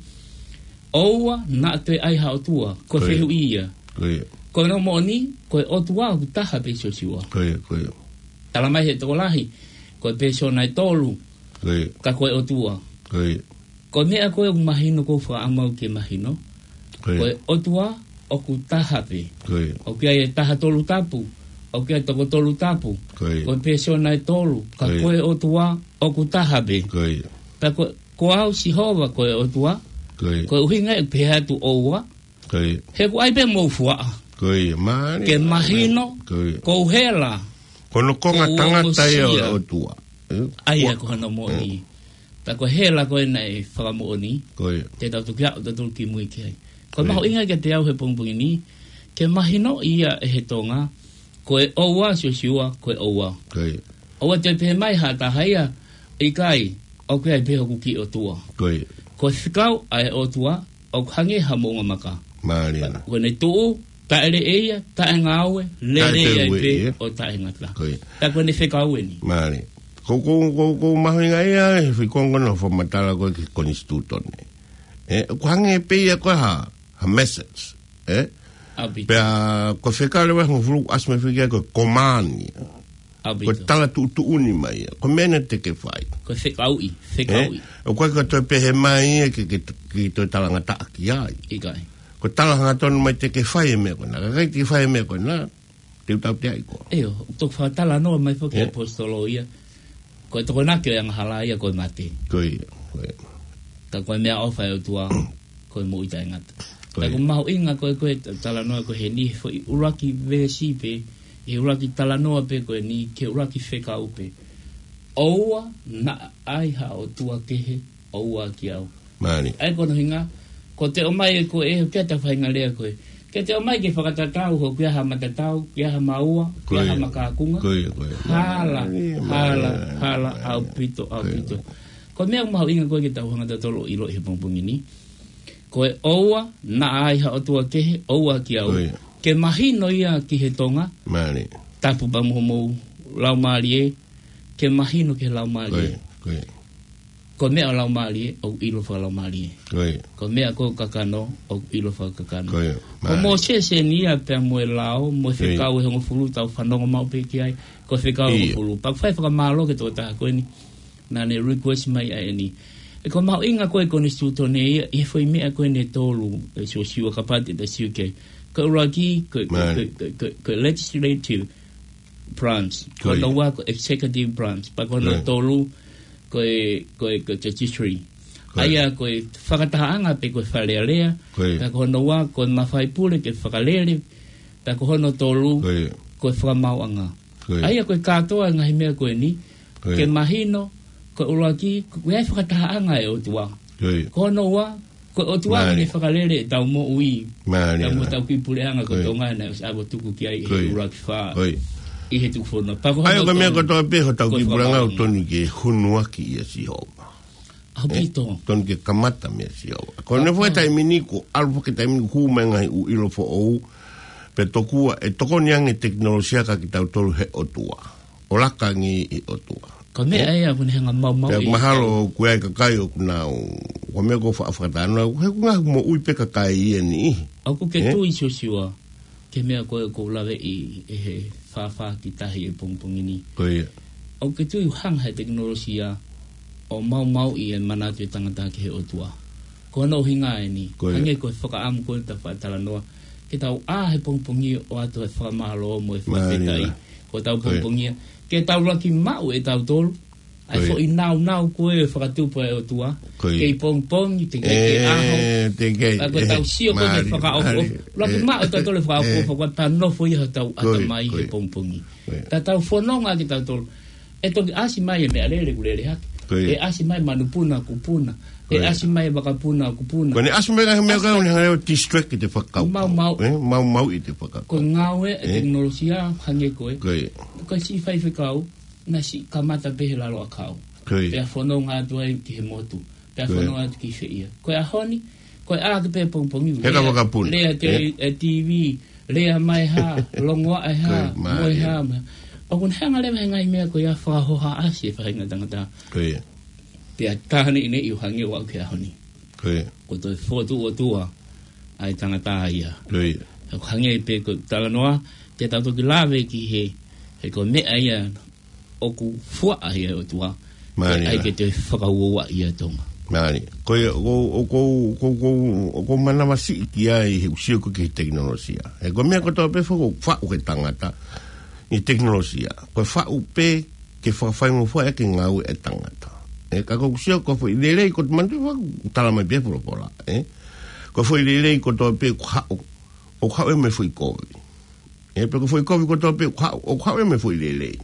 ʻoua naʻa toe ʻai ha ʻotua, ko e Ko ia. fehuʻi ia. Ko ia. Ko hono moʻoni, ko e ʻOtua ʻoku taha pē Siosiua. Ko ia, ko ia. Tala mai he tokolahi, ko e pēsona ʻe tolu, Ko ia. ka ko e ʻOtua. Ko ia. Ko e meʻa ko ē ʻoku mahino ʻoku ou fakaʻamu au ke mahino. Ko ia. Ko e ʻOtua, ʻoku taha pē. Ko ia. ʻOku ʻi ai e taha tolu tapu, ʻoku ʻi ai e toko tolu tapu. Ko ia. Ko e pēsona ʻe tolu, ka Ko ia. ko e ʻOtua ʻoku taha pē. Ko ia. Pea ko, ko au Sihova ko e ʻOtua, Ko ia. ko e ʻuhinga ia ʻoku pehē atu ʻoua, Ko ia. he ʻoku ʻai pē mou fuaʻa. Ko ia, mālie, Ke mālie. mahino, Ko ia. ʻoku ou hela. Ko hono konga ʻOku ou tangata ia ʻo e ongosia. ʻOtua. Eh? ʻA ia Ua- ko hono moʻoni. Mm. Pea ko e hela ko ē naʻe fakamoʻoni. Ko ia. Te tau toki aʻu tautolu ki mui ki ai. Ko e Ko ia. mahuʻinga kiate au he pongipongi ni, ke mahinoʻi ia ʻe he Tonga, ko e ʻoua Siosiua, ko e ʻoua. Ko ia. ʻOua te pehē mai ha taha ia, ʻikai, ʻoku ʻi ai pē hoku kiʻi ʻotua. Ko ia. Ko e fekau ʻa e ʻOtua, ʻoku hangē ha moʻunga maka. Mālie. Ko ʻene tuʻu, taʻe leʻeia, taʻe ngāue, lele ai Taʻe pē ia. ʻo taʻengata. Ko ia. Pea ko ʻene fekau eni. Mālie. Ko, ko, ko, ko mahuʻinga ia, he fai konga naʻa fakamatala ko ē ki he konisitūtone. Eh, ʻoku hangē pē ia ko e ha, ha message. Eh? ʻAupito. Pea ko e fekau leva hongofulu ʻasi mai fika ko e command ia. ʻAupito. Ko e tala tuʻutuʻuni mai ia. Ko e meʻa naʻe teʻeki fai. Ko e fekauʻi, Eh? fekauʻi. ʻOku ʻikai ko e toe pehē mai ia ke, ke, ke toe talangataʻa ki ai. ʻIkai. Ko e tala hangatonu mai teʻeki fai e meʻa ko ena. Ka ʻikai teʻeki fai e meʻa ko ena. Te u tautea ai koe. ʻIo, toki fakatalanoa mai foki e Eh? ʻaposetolo ia. Ko e tokonaki ʻo e angahala ia ko e mate. Ko ia, ko ia. Ka ko e meʻaʻofa ʻa e ʻOtua, ko e moʻui taʻengata. Ko Ka ia. ʻoku mahuʻinga ko ē, ko e talanoa ko eni, he foʻi ʻuluaki veesi pē, he ʻuluaki talanoa pē ko eni, ki he ʻuluaki fekau pē. ʻOua naʻa ʻai ha ʻotua kehe, ʻoua ki au. Mālie. ʻA ia ko hono ʻuhinga, ko te ʻomai ʻe koe, ʻe, ke ta fainga lea ko ē. Ke te ʻomai ke fakatatau, ʻoku ʻi ai ha matatau, ʻoku ʻi ai ha maua, ʻoku ʻi ai ha Ko ia. makākunga. Ko ia, ko ia. Hala, Mālie, hala, mālie, hala, mālie. ʻaupito, Ko ia. ʻaupito. Ko e meʻa mahuʻinga ko ē ke tau hanga tautolu ʻo ʻiloʻi he pongipongi ni. Ko e ʻoua naʻa ʻai ha ʻotua kehe, ʻoua ki au. Ko ia. Ke mahino ia ki he Tonga. Mālie. Tapu pea mo homou laumālie, ke mahino ki he laumālie. Ko ia, ko ia. Ko e meʻa ʻoku laumālie, ʻoku ʻilo fakalaumālie. Ko ia. Ko e meʻa ʻoku kakano, ʻoku ʻilo fakakakano. Ko ia. Ko Mālie. Mōsese eni ia pea mo e lao, mo e Ko ia. fekau ʻe hongofulu tau fanongo maʻu pē ki ai, ko e fekau ʻe Ia. hongofulu. Pea ʻoku fai fakamālō ki he tokotaha ko eni, naʻa ne request mai ʻa eni. ʻE ko e mahuʻinga ko ē konisitūtone ia, ʻi he foʻi meʻa ko eni ʻe tolu, ʻe Siosiua kapau te ta sio ki ai. Ko e ʻuluaki, ko e, ko e, Mālie. ko e, ko e, ko e legislative branch. Ko Ko ia. hono ua, ko e executive branch. Pea ko hono Ko ia. tolu, ko e, ko e, ko e judiciary. Ko ia. ʻA ia ko e fakatahaʻanga pe ko e Fale Alea. Ko ia. Pea ko hono ua, ko e mafai pule ke fakalele. Pea ko hono tolu, Ko ia. ko e fakamaauʻanga. Ko ia. ʻA ia ko e kātoa e ngaahi meʻa ko eni. Ko ia. Ke mahino, ko e ʻuluaki, ko e fakatahaʻanga ʻa e ʻOtua. Ko ia. Ko hono ua, ko e ʻOtua Mālie. ʻoku ne fakalele ʻetau moʻui. Mālie. Pea mo ʻetau kiʻi puleʻanga ko Ko ia. Tonga naʻe ʻosi ʻave tuku ki ai ʻi he Ko ia. ʻuluaki fā. Ko ia. ʻI he tukufakaholo. Pea ko ʻA ia hono ko e meʻa tolu, kotoa pē hotau ko e kiʻi puleʻanga ʻoku fakamaauʻanga. tonu ke honuaki ʻia Sihova. ʻAupito. Eh? Tonu ke kamata meia Sihova. Ko ʻene Papa. foʻi taimi ni ko e ʻalu foki taimi ni hū mai ngaahi ʻū ʻilo foʻou. Pea tokua, ʻe tokoni ange tekinolosia ka kitautolu he ʻOtua. ʻO laka ange ʻi he ʻOtua. Ko e meʻa Eh? ia ʻoku ne hanga maumau Pea ʻi mahalo ko e kakai ʻoku nau. Ko e meʻa ko e fa-, fakatalanoa, he ʻoku ngaahi moʻui pē kakai ia ni. ʻOku ke Eh? tui Siosiua, ki he meʻa ko ē ʻoku ou laveʻi ʻi he fāfā ki tahi he pongipongi ni. Ko ia. ʻOku ke tui ʻoku hanga he tekinolosia ʻo maumauʻi e manatu e tangata ki he ʻOtua. Ko hono ʻuhinga eni, Ko ia. hangē ko e fakaʻamu ko ē ta fakatalanoa. Ke tau ʻā he pongipongi ʻo ʻoatu e fakamālō mo e Mālie. fakafetaʻi. Ko ʻetau Ko ia. pongipongi ia. Ke tau laki maʻu ʻe tautolu. ʻA e Ko ia. foʻi naunau ko ē fakatupu ʻa e ʻOtua. Ko ia. Kei pongipongi, te kei, kei ʻaho. Eh, te kei, Ka ko e eh, tau sio ko ē ke mālie, fakaʻofoʻofa. mālie, Laki eh, maʻu ʻe tautolu e fakaʻofoʻofa, eh. ko e tau nofo ia hotau Ko ia, ʻatamai ko he ia. pongipongi. Ko ia. Ka tau fononga ke tautolu. ʻE toki ʻasi mai e meʻalele ʻoku lele hake. Ko ia. ʻE ʻasi mai manupuna ʻoku puna. Ko ʻE ia. ʻasi mai e vakapuna ʻoku puna. Ko ʻene ʻasi mai ka he meʻa ka ʻAsi. ʻoku ne hanga ʻo distract ʻi he fakakaukau. Maumau. Eh, maumauʻi ʻi he fakakaukau. Ko e ngāue e Eh? tekinolosia hangē ko ē. Ko ia. Ko e siʻi faifekau, naʻe siʻi kamata pē he lalo ʻakau. Ko ia. Pea fononga atu ai ki he motu. Pea Ko ia. fononga atu ki he feia. Ko e ʻaho ni, ko e ʻā ake pē pongipongi. He ka Lea, vakapuna. lea te Eh? e T V, lea mai hā, longoaʻa e hā, Ko ia, mo e mālie. hā, mo e hā. ʻOku ne hanga leva he ngaahi meʻa ko ia fakahohaʻasi e faʻahinga tangata. Ko ia. Pea taha neʻineʻi ʻo hangē ʻoku aʻu ki he ʻaho ni. Ko ia. Ko e toe fotu ʻOtua ʻa e tangata ia. Ko ia. Ka ko e hangē pē ko e talanoa, te tau toki lave ki he, he ko e meʻa ia ʻoku fuaʻa ia ʻe he ʻOtua. Mālie. ʻAi ke te fakauoua ia Tonga. Mālie. Ko ia, ʻoku ou, ʻoku ou, ʻoku ou, ʻoku ou manavasiʻi ki ai he ʻuhinga ko e tekinolosia. He ko e meʻa kotoa pē ʻoku faʻu ʻe he tangata ʻi he tekinolosia, ko e faʻu pē ke fakafaingofuaʻi ʻaki e ngāue ʻa e tangata. ʻE, ka ko e ʻuhinga ko e foʻi lelei, ko e manatu ʻoku tala mai pē he folofola, ʻe? Ko e foʻi lelei kotoa pē ʻoku haʻu, ʻoku haʻu ia mei he foʻi kovi. ʻE, pe ko e foʻi kovi kotoa pē ʻoku haʻu, ʻoku haʻu ia mei he foʻi lelei.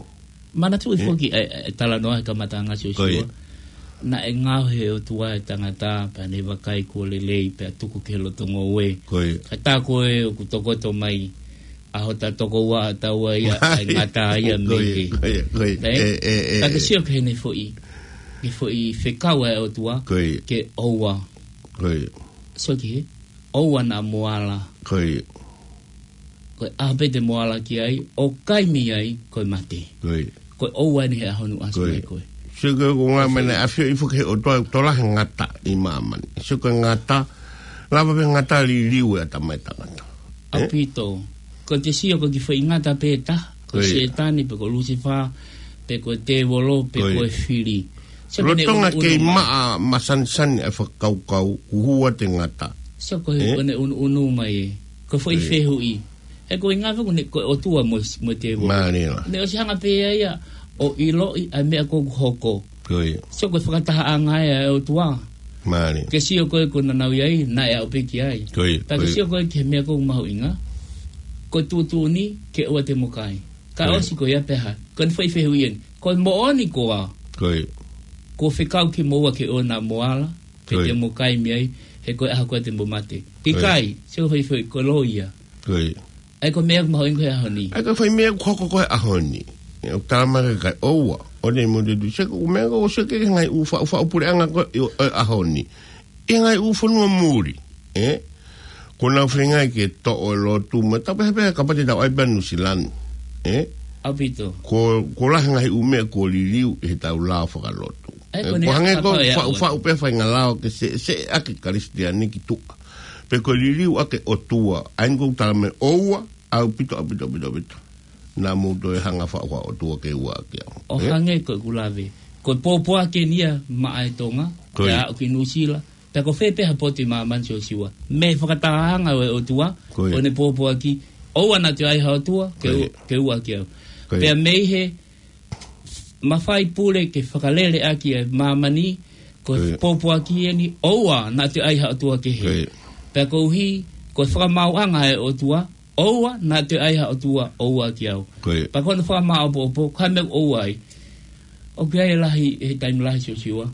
Manatuʻi ʻE? foki e, e, e talanoa he kamataʻanga, Siosiua. Ko ia. Naʻe ngaohi ʻe he ʻOtua e tangata, pea ne vakai kuo lelei, pea tuku ki he loto ngoue. Ko ia. Ka tā ko ē ʻoku tokoto mai, ʻa hota tokoua ʻa taua ia, ʻa e ngata ia Ko mei ia, he. ko ia, ko ia. Naʻe? ʻE, ʻe, ʻe, Ka ke ʻe. sio ki heʻene foʻi, ki he foʻi fekau ʻa e ʻOtua, Ko ia. ke ʻoua. Ko ia. Sio ki he, ʻoua naʻa mo ala. Ko ia. Ko e ʻaho pē te mo ala ki ai, ʻo kai mei ai, ko e mate. Ko ia. Ko e ʻoua eni he ʻaho ni ʻoku ʻasi Ko ia. mai ko ē. Sio ko e ʻuhinga mai naʻe ʻafioʻi foki ʻe he ʻOtua ʻoku tokolahi e ngata ʻi māmani. Sio ko e ngata, lava pē ngata liliu e ʻatamai tangata. ʻE? ʻAupito. Ko e te sio ko e kiʻi foʻi ngata pē taha. Ko Ko ia. Sētane pe ko Lusifā, pe ko e tēvolo, pe Ko ia. ko e fili. Sio ko ʻene Lolotonga ʻunuʻunu kei mai. maʻa masanisani ʻa e fakakaukau, ʻoku hū atu e ngata. Sio ko e ʻE? ʻene ʻunuʻunu mai ē. Ko e foʻi Ko ia. fehuʻi. He ko e ngata ko ē ko e ʻOtua mo, mo e tēvolo. Mālie lā. Ne ʻosi hanga pē ia ia ʻo ʻiloʻi ʻa e meʻa ʻoku hoko. Ko ia. Sio ko e fakatahaʻanga ia ʻa e ʻOtua. Mālie. Ke sio ko ē ko ē naʻa nau ʻi ai, naʻe aʻu pē ki ai. Ko ia, Pea ko ke ia. sio ko ē ki he meʻa ʻoku mahuʻinga. Ko e tuʻutuʻuni ke ʻoua te mo kai. Ka Ko ia. ʻosi ko ia pē ha. Ko ʻene foʻi fehuʻi eni. Ko e moʻoni koā. Ko ia. Kuo fekau kimoua ke ʻoua naʻa mo ala. Pe Ko ia. te mo kai mei ai. He ko e ʻaho ko ē te mo mate. Ko ia. ʻIkai. Sio ko e foʻi fehuʻi ko e loi ia. Ko ia. ʻA ia ko e meʻa ʻoku mahuʻinga ko ē he ʻaho ni. ʻA ia ko e foʻi meʻa ʻoku hoko ko ē he ʻaho ni. ʻE, ʻoku tala mai ke kai ʻoua. ʻO ne mo te tu. Sio ko e meʻa ko ē ʻoku sio ki he ngaahi ʻū faʻu, faʻu puleʻanga ko ē ʻi, ʻi he ʻaho ni. ʻI he ngaahi ʻū fonua muli. ʻE? Ko ʻenau feinga ke toʻo e lotu mo e tau pehē pehē kapau te tau ʻai pē ʻa Nuʻu Sila ni. ʻE? ʻAupito. Ko, ko e lahi e ngaahi ʻū meʻa kuo liliu ʻi heʻetau lao fakalotu. ʻA ia ʻE, ko ʻene ko e hangē ko e ʻaho ia faʻu, ʻoku faʻu pē faʻahinga lao ke sē, sēʻaki e Kalisitiane ki tuʻa. Pe ko e liliu ʻaki e ʻOtua. ʻA ia ʻoku ou tala mai ʻoua, ʻaupito, ʻaupito, ʻaupito, ʻaupito. Naʻa mou toe hanga faʻu ha ʻotua ke ua ʻaki au. ʻO ʻE? hangē ko ʻeku lave. Ko e pōpoaki eni ia maʻa e Tonga, Ko ia. pea aʻu ki Nuʻu Sila, pea ko fē pē ha potu ʻi māmani, Siosiua. Mei he fakatahaʻanga ʻo e ʻOtua, Ko ia. ʻo ne pōpoaki, ʻoua naʻa toe ʻai ha ʻotua, ke Ko ia. u-, ke ua ʻaki au. Ko ia. Pea mei he mafai pule ke fakalele ʻaki e māmani, ko e Ko ia. pōpoaki eni, ʻoua naʻa toe ʻai ha ʻotua kehe. Ko ia. Pea koeʻuhi, ko e fakamaauʻanga ʻa e ʻOtua, ʻoua naʻa toe ʻai ha ʻotua ʻo ua ʻaki au. Ko ia. Pea ko hono fakamāʻopoʻopo, ko e meʻa ʻoku ʻi ai. ʻOku ʻi ai e lahi, he taimi lahi, Siosiua.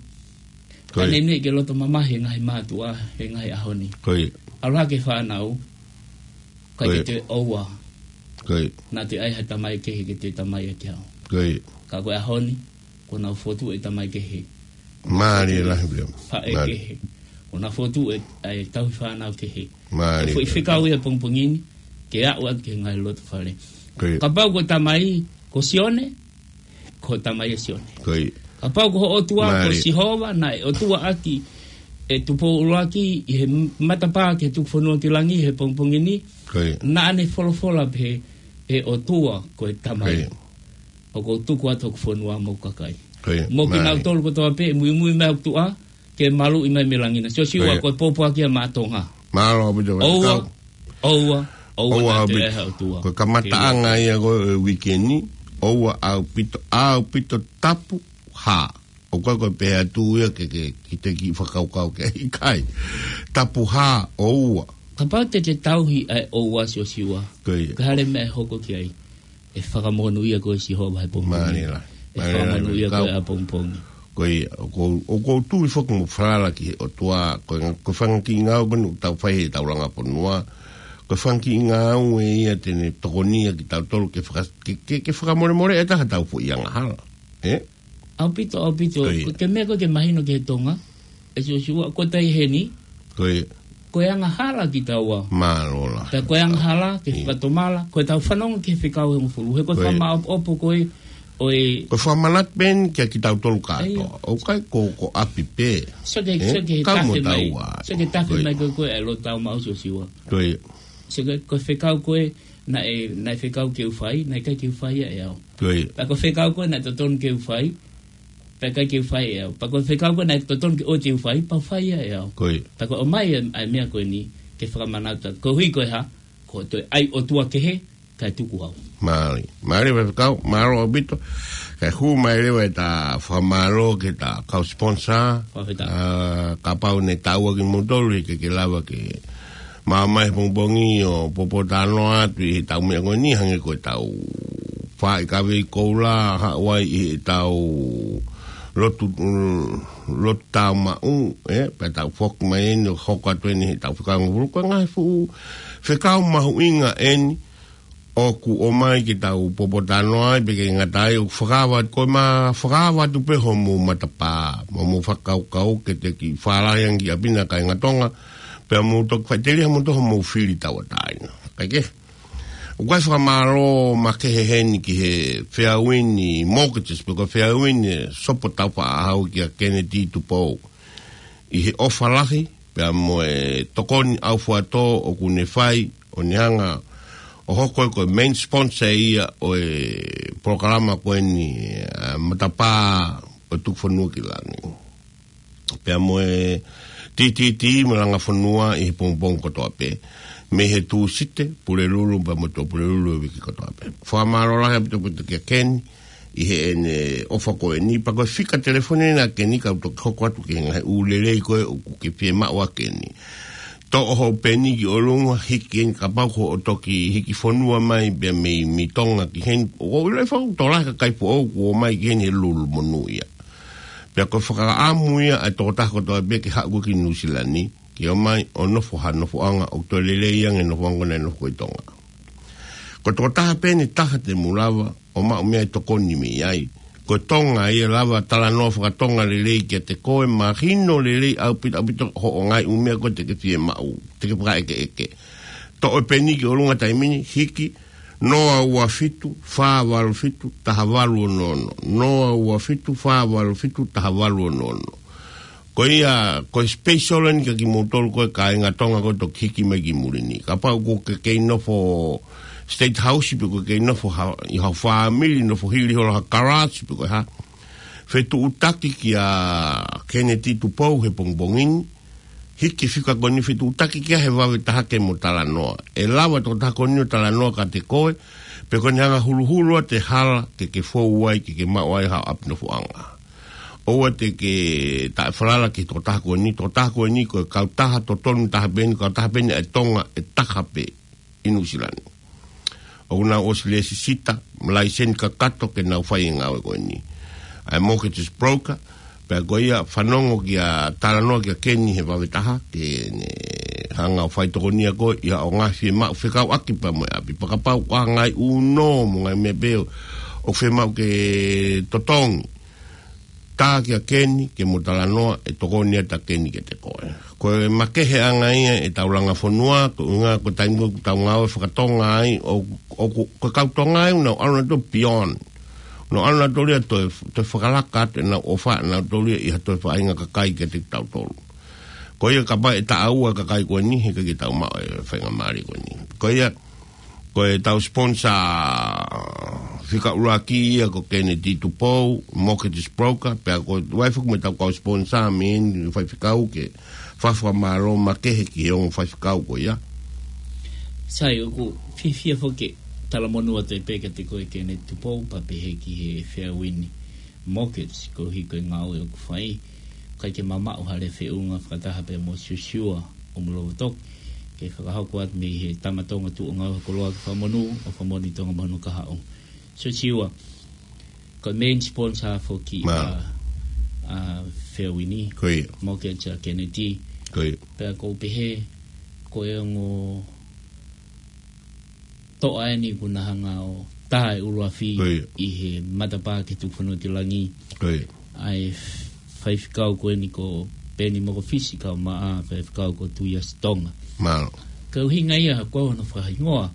Ko ia. Ka ne ne ke loto mamahi he ngaahi mātuʻa, he ngaahi ʻaho ni. Ko ia. ʻAlu hake e fānau, ʻikai Ko ia. ke toe ʻoua. Ko ia. Naʻa toe ʻai ha tamai kehe ke toe tamai ʻaki au. Ko ia. Ka ko e ʻaho ni, kuo nau fotu e tamai kehe. Mālie lahi pē. Faʻē Mālie. kehe. Kuo nau fotu e, e tauhi fānau kehe. Mālie Ko e foʻi pē. fekau ia pongipongi ni, ke aʻu atu ki he ngaahi loto fale. Ko ia. Kapau ko e tamai, ko Sione, ko e tamai ʻa Sione. Ko ia. Kapau ko ho ʻOtua, ko Mālie. Sihova, naʻe ʻOtua ʻaki, ʻe Tupou ʻUluaki, ʻi he matapā ki he tuku fonua ki langi, he pongipongi ni, Ko ia. naʻa ne folofola pē, ʻe ʻOtua, ko e tamai. Ko ia. ʻOku ou tuku atu hoku fonua mo hoku kakai. Ko ia, Mo mālie. kinautolu kotoa pē, muimui mai hoku tuʻa, ke maluʻi mai mei langi na. Siosiua, Ko ia. ko e pōpoaki ia maʻa Tonga. Mālō ʻaupito, ʻOua, Kau. ʻoua, ʻoua ʻOua naʻa toe ʻaupito. ʻai ha ʻotua. Ko e kamataʻanga Ke ia ko e uike ni, ʻoua ʻaupito, ʻaupito tapu hā. ʻOku ʻikai ko e pehē atu ia ke, ke, ke te kiʻi fakakaukau ke ʻikai. Tapu hā, ʻoua. Kapau te te tauhi ʻa e ʻoua, Siosiua. Ko ia. Ko e hā e meʻa ʻe hoko ki ai. ʻE fakamonūʻia koe ʻe Sihova he pongipongi. Mālie lahi. ʻE Mālie lahi, fakamonūʻia Kau. koe ʻapongipongi. Ko ia, ʻoku ou, ʻoku ou tui foki mo falala ki he ʻOtua, ko e, ko e fanga kiʻi ngāue ko eni ʻoku tau fai he taulanga fonua. Ko e fanga kiʻi ngāue ia te ne tokoniʻi kitautolu ke faka-, ke, ke, ke fakamolemoleʻi ʻe taha ʻetau foʻi angahala. ʻE? ʻAupito, ʻaupito. Ko ia. Ko e meʻa ko ē ke mahino ki he Tonga, ʻe Siosiua, ko e taimi heni, Ko ia. ko e angahala kitaua. Mālō lahi. Pea ko e angahala, ke Ia. fakatomala, ko ʻetau fanongo ki he fekau ʻe hongofulu. He ko e Ko ia. fakamāʻopoʻopo ko ē, ʻo e Ko e fakamanatu pē eni kia kitautolu kātoa. ʻIo. ʻOku ʻikai ko, ko ʻapi pē. Sio ki he, ʻE? sio ki he Kau mo tafe mai. taua. Sio ki he tafe Ko ia. mai ko ē ko ē ʻa e lotu tau maʻu, Siosiua. Ko ia. Sio ki he, ko e fekau ko ē, naʻe, naʻe fekau ke u fai, naʻe ʻikai ke u fai ia ʻe au. Ko ia. Pea ko e fekau ko ē, naʻe totonu ke u fai, Pea ʻikai ke u fai ʻe au. Pea ko e fekau ko ē naʻe totonu ke ʻoua te u fai, pea u fai ia ʻe au. Ko ia. Pea ko e ʻomai ʻa e, ʻa e meʻa ko eni, ke fakamanatu atu. Koeʻuhi ko e hā, ko e toe ʻai ʻOtua kehe, kae tuku au. Mālie. Mālie, faifekau, mālō ʻaupito. Kae hū mai leva ʻeta fakamālō ki heʻeta kau sponsor. Fakafetaʻi. Ā, kapau naʻe taʻua kimoutolu, ʻikai ke lava ke maʻu mai he pongipongi ʻo poupou talanoa atu ʻi heʻetau meʻa ko eni hangē ko ʻetau fai kavei koula, haʻu ai ʻi heʻetau lotu, mm, lotu tāumaʻu, ē, pea tau foki mai eni ʻo hoko atu eni heʻetau fekau ngofulu. Ko e ngaahi fuʻu fekau mahuʻinga eni ʻoku ʻomai ke tau poupou talanoa ai, pea ʻikai ngata ai, ʻoku fakaava, ko e ma-, fakaava atu pē homou matapā, mo hoʻomou fakakaukau ke te kiʻi fālahi ange ki ʻapi na kāinga Tonga, pea mou toki faʻiteliha mo toʻo hoʻomou fili tauʻatāina. Kae kehe, ʻoku ʻi ai e fakamālō makehe heni ki he Fairwind Mortgages, pe ko e Fairwind Sopo Taufaʻāhau kia Kennedy Tupou ʻi he ʻofa lahi, pea mo e tokoni ʻaufuatō ʻoku ne fai ʻo ne hanga ʻo hoko ko e main sponsor ia ʻo e polokalama ko eni, ā, Matapā ʻo e Tukufonua ki Langi. Pea mo e T T T mo e Langa Fonua ʻi he pongipongi kotoa pē. Mei he Tūsite, Pulelulu, pea mo e Tuʻapulelulu ʻo e uike kotoa pē. Fakamālō lahi ʻaupito kia Keni, ʻi heʻene ʻofa ko eni, pea ko e fika telefoni ʻa Keni kau toki hoko atu ki he ngaahi ʻū lelei ko ē ʻoku ke fiemaʻu ʻa Keni. Toʻo hoʻo peni ki ʻolunga, hiki eni kapau ko hoʻo toki hiki fonua mai pea mei, mei Tonga ki heni, ʻoku ou ʻilo ʻe fakatolahi e kakai foʻou kuo ō mai ki heni he lulu monū ia. Pea ko e fakaʻamu ia ʻa e tokotaha kotoa pē ke haʻu ko ē ki Nuʻusila ni, ke ō mai ʻo nofo ha nofoʻanga ʻoku toe lelei ange e nofoʻanga ko ē naʻe nofo ko ē ʻi Tonga. Ko e tokotaha pē eni taha te mou lava ʻo maʻu meʻa ʻe tokoni mei ai. Ko Tonga ia, lava talanoa fakatonga lelei kiate koe, mahino lelei ʻaupito, ʻaupito hoʻo ngaahi ʻū meʻa ko ē te ke fiemaʻu, te ke fakaʻekeʻeke. Toʻo e peni ki ʻolunga taimi ni, hiki, noa ua fitu, fā valu fitu, taha valu ono ono. Noa ua fitu, fā valu fitu, taha valu ono ono. Ko ia, ko e special eni kia kimoutolu ko ē kāinga Tonga ko ē toki hiki mai ki muli ni. Kapau ʻoku ke kei nofo State House pe ʻoku ke kei nofo ha, ʻi ha fāmili, nofo hili holo ha garage pe ko e hā. Fetuʻutaki kia Kennedy Tupou he pongipongi ni. Hiki e fika ko eni, fetuʻutaki ki ai he vave taha ke mo talanoa. ʻE lava e tokotaha ko eni ʻo talanoa kiate koe, pea ko ʻene hanga ʻo huluhulu atu e hala ke ke fou ai, ke ke maʻu ai haʻo ʻapi nofoʻanga. ʻOua te ke taʻefalala ki he tokotaha ko eni, tokotaha ko eni ko e kautaha totonu taha pē eni, kautaha pē eni ʻa e Tonga ʻe taha pē ʻi Nuʻusila ni. ʻOku nau ʻosi lēsisita mo laiseni kakato ke nau fai e ngāue ko eni. ʻA e mortgage broker, pea ko ia fanongo ki he talanoa kia Keni he vave taha, ke ne hanga ʻo fai tokonia koe ʻi haʻo ngaahi fiemaʻu fekauʻaki pea mo e ʻapi. Pea kapau ʻoku ʻi ai ha ngaahi ʻuno mo e ngaahi meʻa pē ʻoku fiemaʻu ke totongi, tā kia Keni ke mo talanoa, ʻe tokoni atu ʻa Keni kiate koe. Ko e makeheʻanga ia ʻetau Langa Fonua, ko e ʻuhinga ko e taimi ʻoku tau ngāue fakatonga ai, ʻo, ʻoku, ko e kau Tonga ia ʻoku nau ʻalu nautolu beyond. Nau ʻalu nautolu ia ʻo toe, toe fakalaka atu ʻenau ʻofa ʻanautolu ia ʻi ha toe faʻahinga kakai kiate kitautolu. Ko ia kapau ʻe taʻau ʻa e kakai ko eni, heʻikai ke tau maʻu e faingamālie ko eni. Ko ia, ko ʻetau sponsor fika ʻuluaki ia ko Kennedy Tupou, mortgage broker, pea ko e ʻi ai foki mo ʻetau kau sponsor mei heni, faifekau, ke fakafakamālō makehe ki he ongo faifekau ko ia. Sai, ʻoku ou fiefia foki ke talamonū atu pē kiate koe Kennedy Tupou, pea pehē ki he Fairwind Mortgage, koeʻuhi ko e ngāue ʻoku fai. ʻIkai ke mamaʻo ha lea feʻunga fakataha pē mo Siosiua ʻo Mulovotoki, ke fakahoko atu mei he Tama Tonga Tuʻuʻangauha Koloa ki Fakamonū, ʻo Fakamoʻoni Tonga mo hono kahaʻu. Siosiua, ko e main sponsor foki ʻa, ʻa Fairwind Mortgage ʻa Kennedy. Ko ia. Pea ʻoku ou pehē, ko e ongo toʻa eni kuo na hanga ʻo tā e ʻuluafi ʻi he Matapā ki he Tukufonua ki Langi. Ko ia. ʻA e faifekau ko eni ko Peni Mokofisi, kau maʻa faifekau ko Tuʻiasi Tonga. Mālō. Ko e ʻuhinga ia ko hono fakahingoa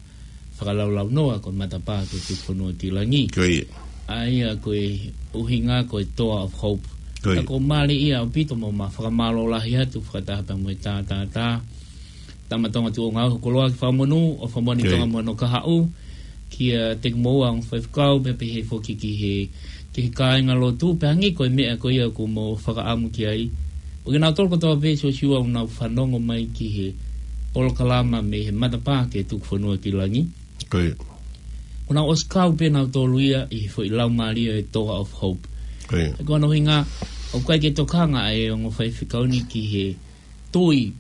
fakalaulaunoa ko e Matapā ki he Tukufonua ki Langi. Ko ia. ʻA ia ko e ʻuhinga ko e Door of Hope. Ko ia. Ka ʻoku mālie ia ʻaupito mo ma fakamālō lahi atu fakataha pē mo e tā, tā, tā Tama Tonga Tuʻuʻangauha Koloa ki Fakamonū, ʻo Fakamoʻoni Tonga mo hono kahaʻu, kiate kimoua ongo faifekau, pea pehē foki ki he ki he kāingalotu, pea hangē ko e meʻa ko ia ʻoku mo fakaʻamu ki ai. ʻO kinautolu kotoa pē Siosiua ʻoku nau fanongo mai ki he polokalama mei he matapā ki he Tukufonua ki Langi. Ko ia. ʻOku nau ʻosi kau pē nautolu ia ʻi he foʻi laumālie ʻo e Toa of Hope. Ko ia. Ko hono ʻuhinga, ʻoku ʻikai ke tokanga ʻa e ongo faifekau ni ki he tui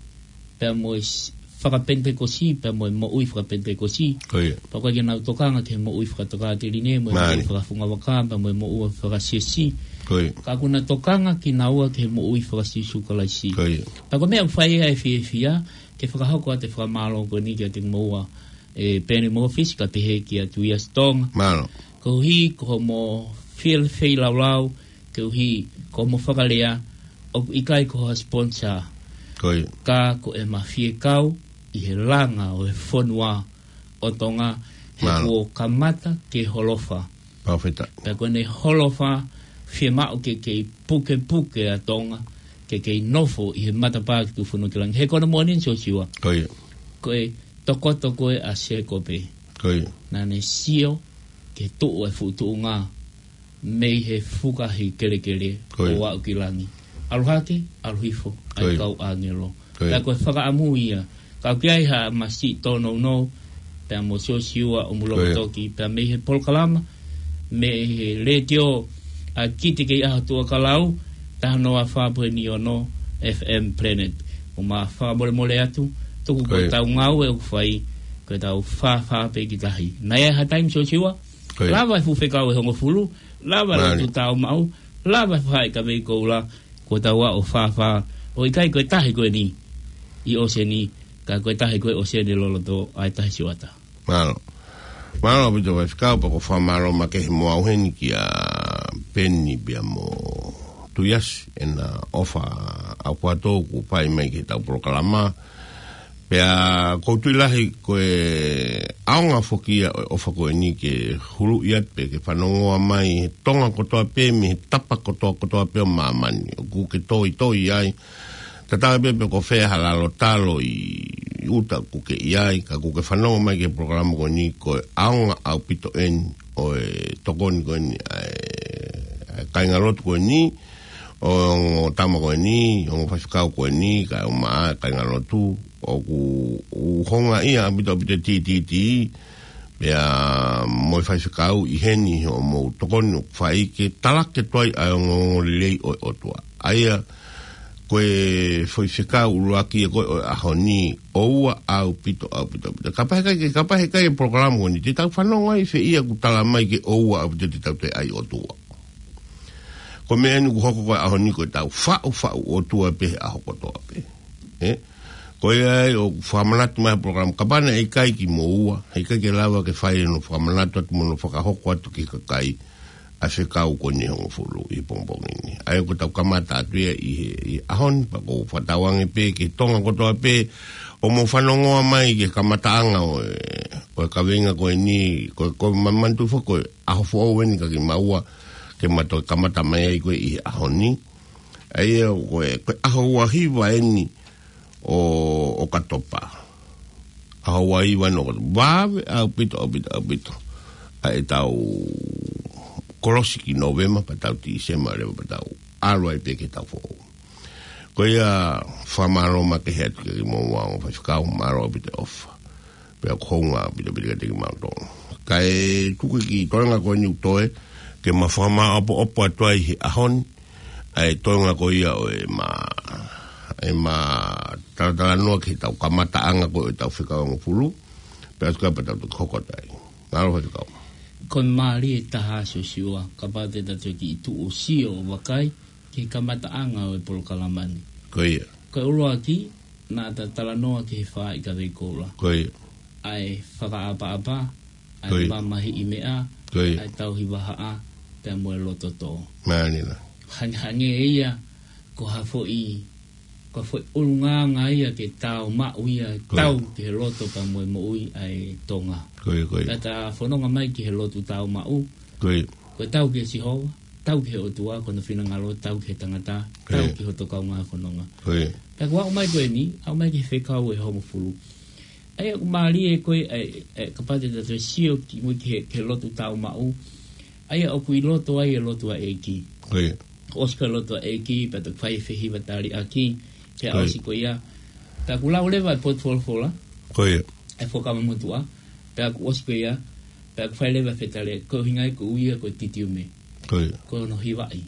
pea mo e s-, fakapenitekosi, pea mo e moʻui fakapenitekosi. Ko ia. Pea ʻoku ʻikai ke nau tokanga ki he moʻui fakatokāteline, mo e moʻui fakafungavaka, pea mo e moʻui fakasiasi. Ko ia. Ka ʻoku na tokanga kinaua ki he moʻui faka-Sīsū Kalaisi. Ko ia. Pea ko e meʻa ʻoku fai ai e fiefia, ke fakahoko atu e fakamālō ko eni kiate kimoua, ʻe Peni Mofisi, ka pehē kia Tuiasi Tonga. Mālō. Koeʻuhi ko hoʻomo fie-, feilaulau, koeʻuhi ko hoʻomo fakalea, ʻoku ʻikai ko ha sponsor. Ko ia. Ka ko ʻema fiekau ʻi he langa ʻo e fonua ʻo Tonga, he kuo kamata ke holofa. Pau feta. Pea ko ʻene holofa, fiemaʻu ke kei pukepuke ʻa Tonga, ke kei nofo ʻi he matapā ki Tukufonua ki Langi. He ko hono moʻoni eni Siosiua. Ko ia. Ko e tokoto ko ē ʻa Sēkope. Ko ia. Naʻa ne sio ki he tuʻu ʻa e fuʻu tuʻunga mei he fukahi kelekele ʻo aʻu ki langi. ʻAlu hake, ʻalu hifo, ʻa e kau ʻāngelo. Pea ko e fakaʻamu ia. Ka ʻoku ʻi ai ha masiʻi tōnounou, pea mo Siosiua ʻo Mulongotoki, pea mei he polokalama, mei he letiō ʻa Kite Kei ʻAho Tuʻa Kalau, taha noa fā poini ono F M Planet. ʻOku ma fakamolemole atu, tuku ko ʻetau ngāue ʻoku fai, ko ʻetau fāfā pē ki tahi. Naʻe ʻi ai ha taimi Siosiua, lava e fuʻu fekau ʻe hongofulu, lava e lotu tāumaʻu, lava e fai kavei koula, ko ʻetau aʻu ʻo fāfā, ʻo ʻikai ko e tahi ko eni ʻi ʻōseni, ka ko e tahi ko ē ʻōseni loloto ʻa e Tahi Siuata. Mālō. Mālō ʻaupito faifekau, pea ʻoku ou fakamālō makehe mo au heni kia Peni pea mo Tuiasi, ʻena ʻofa ʻaupito kuo fai mai ki heʻetau polokalama. Pea ʻoku ou tui lahi ko e ʻaonga foki ia ʻo e ʻofa ko eni ke huluʻi atu pē ke fanongoa mai he Tonga kotoa pē, mei he tapa kotoa kotoa pē ʻo māmani. ʻOku ke toitoi ai. Tatau ai pē pe ko fē ha lalo talo ʻi ʻuta ʻoku ke ʻi ai, ka ʻoku ke fanongo mai ki he polokalama ko eni, ko e ʻaonga ʻaupito eni ʻo e tokoni ko eni ʻa e, ʻa e kāingalotu ko eni, ʻo e ongo tama ko eni, ongo faifekau ko eni, kae ʻumaʻā e kāingalotu, ʻoku, ʻoku houngaʻia ʻaupito ʻaupito e TTT, pea mo e faifekau ʻi heni hoʻomou tokoni ʻoku fai ke talaki atu ai ʻa e ongoongolelei ʻo e ʻOtua. ʻA ia, ko e foʻi fekau ʻuluaki ia ko ē ʻo e ʻaho ni, ʻoua ʻaupito, ʻaupito, ʻaupito. Kapau heʻikai ke, kapau heʻikai e polokalama ko eni, te tau fanongo ai fē ia ʻoku tala mai ke ʻoua ʻaupito te tau toe ʻai ʻOtua. Ko e meʻa eni ʻoku hoko ko e ʻaho ni ko ʻetau faʻufaʻu ʻOtua pē he ʻaho kotoa pē. ʻE? Ko ia ai ʻoku fakamanatu mai he polokalama, kapau naʻe ʻikai kimoua, heʻikai ke lava ke fai hono fakamanatu atu mo hono fakahoko atu ki he kakai ʻa e fekau ko eni ʻe hongofulu ʻi he pongipongi ni. ʻA ia ʻoku tau kamata atu ia ʻi he, ʻi he ʻaho ni, pea ʻoku ou fakatauange pē ki he Tonga kotoa pē, ʻoku mou fanongoa mai ki he kamataʻanga ʻo e, ʻo e kaveinga ko eni, ko, ko e ma-, manatu foki ko e ʻaho foʻou eni kia kimaua, ke ma toe kamata mai ai ko ē ʻi he ʻaho ni. ʻA ia ko e, ko e ʻaho ua hiva eni ʻo, ʻo ʻOkatopa. ʻAho ua hiva eni ʻo ʻOkatopa. Vave ʻaupito, ʻaupito, ʻaupito ʻa ʻetau kolosi ki Nōvema, pea tau Tīsema leva, pea tau ʻalu ai pē ki he taʻu foʻou. Ko ia, fakamālō makehe atu kia kimoua ongo faifekau, mālō ʻaupito e ʻofa. Pea ʻoku hounga ʻaupito ʻaupito kiate kimautolu. Kae tuku e kiʻi toenga ko eni ʻoku toe, ke ma fakamāʻopoʻopo atu ai he ʻaho ni, ʻa e toenga ko ia ʻo ʻema, ʻema talatalanoa ki heʻetau kamataʻanga ko ē ʻo ʻetau fekau ʻe hongofulu, pea ʻoku ʻikai pea tau toki hoko atu ai. Mālō faifekau. Ko e mālie taha Siosiua, kapau te tau toe kiʻi tuʻu ʻo sio ʻo vakai ki he kamataʻanga ʻo e polokalama ni. Ko ia. Ko e ʻuluaki, naʻa ta talanoa ki he faaʻi kavei koula. Ko ia. ʻA e fakaʻapaʻapa, ʻa e mamahiʻi meʻa, ʻa e tauhi vahaʻa, pea mo e loto tō. Mālie. Hangehangē ia, ko ha foʻi, ko ha foʻi ʻulungaanga ia ke tāumaʻu ia, tau ki he loto pea mo e moʻui ʻa e Tonga. Ko ia, ko ia. Pea ta fononga mai ki he lotu tāumaʻu. Ko ia. Ko e tau ki he Sihova, tau ki he ʻOtua, ko hono finangalo, tau ki he tangata, tau ki hoto kaungā fononga. Ko ia. Pea ʻoku aʻu mai ko eni, aʻu mai ki he fekau ʻe hongofulu. ʻA ia ʻoku mālie ko ē, ʻa e, ʻa e, kapau te tau toe sio ki mui ki he, ki he lotu tāumaʻu. ʻA ia ʻoku ʻi loto ai e lotu ʻa e ʻEiki. Ko ia. ʻOsi ko e lotu ʻa e ʻEiki, pea toki fai e fehiva taliʻaki, pea Ko ia. ʻosi ko ia. Pea ʻoku lau leva e potu folofola. Ko ia. E Fuakava Motuʻa. Pea ʻoku ʻosi ko ia. Pea ʻoku fai leva e fetaliʻaki, ko e ʻuhinga ia ko e ui ia ko e titiume. Ko ia. Ko hono hivaʻi.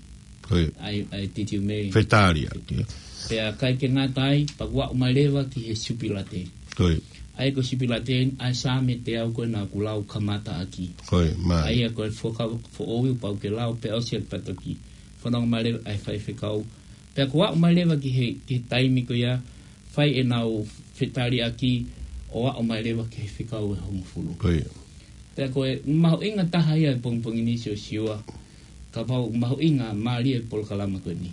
Ko ia. ʻA e, ʻa e titiume. Fetaliʻaki. Pea ʻikai ke ngata ai, pea ʻoku aʻu mai leva ki he Sipilate. Ko ia. ʻA ia ko e Sipilate, ʻa e Saame teau ko ē naʻa ku lau kamata ʻaki. Ko ia, mai. ʻA ia ko e Fuakava Foʻou ia pau ke lau, pea ʻosi ʻaki pea toki fononga mai leva ʻa e faifekau. Pea ʻoku aʻu mai leva ki he, ki he taimi ko ia, fai ʻenau fetaliʻaki ʻo aʻu mai leva ki he fekau ʻe hongofulu. Ko ia. Pea ko e mahuʻinga taha ia e pongipongi ni Siosiua, kapau mahuʻinga mālie e polokalama ko eni.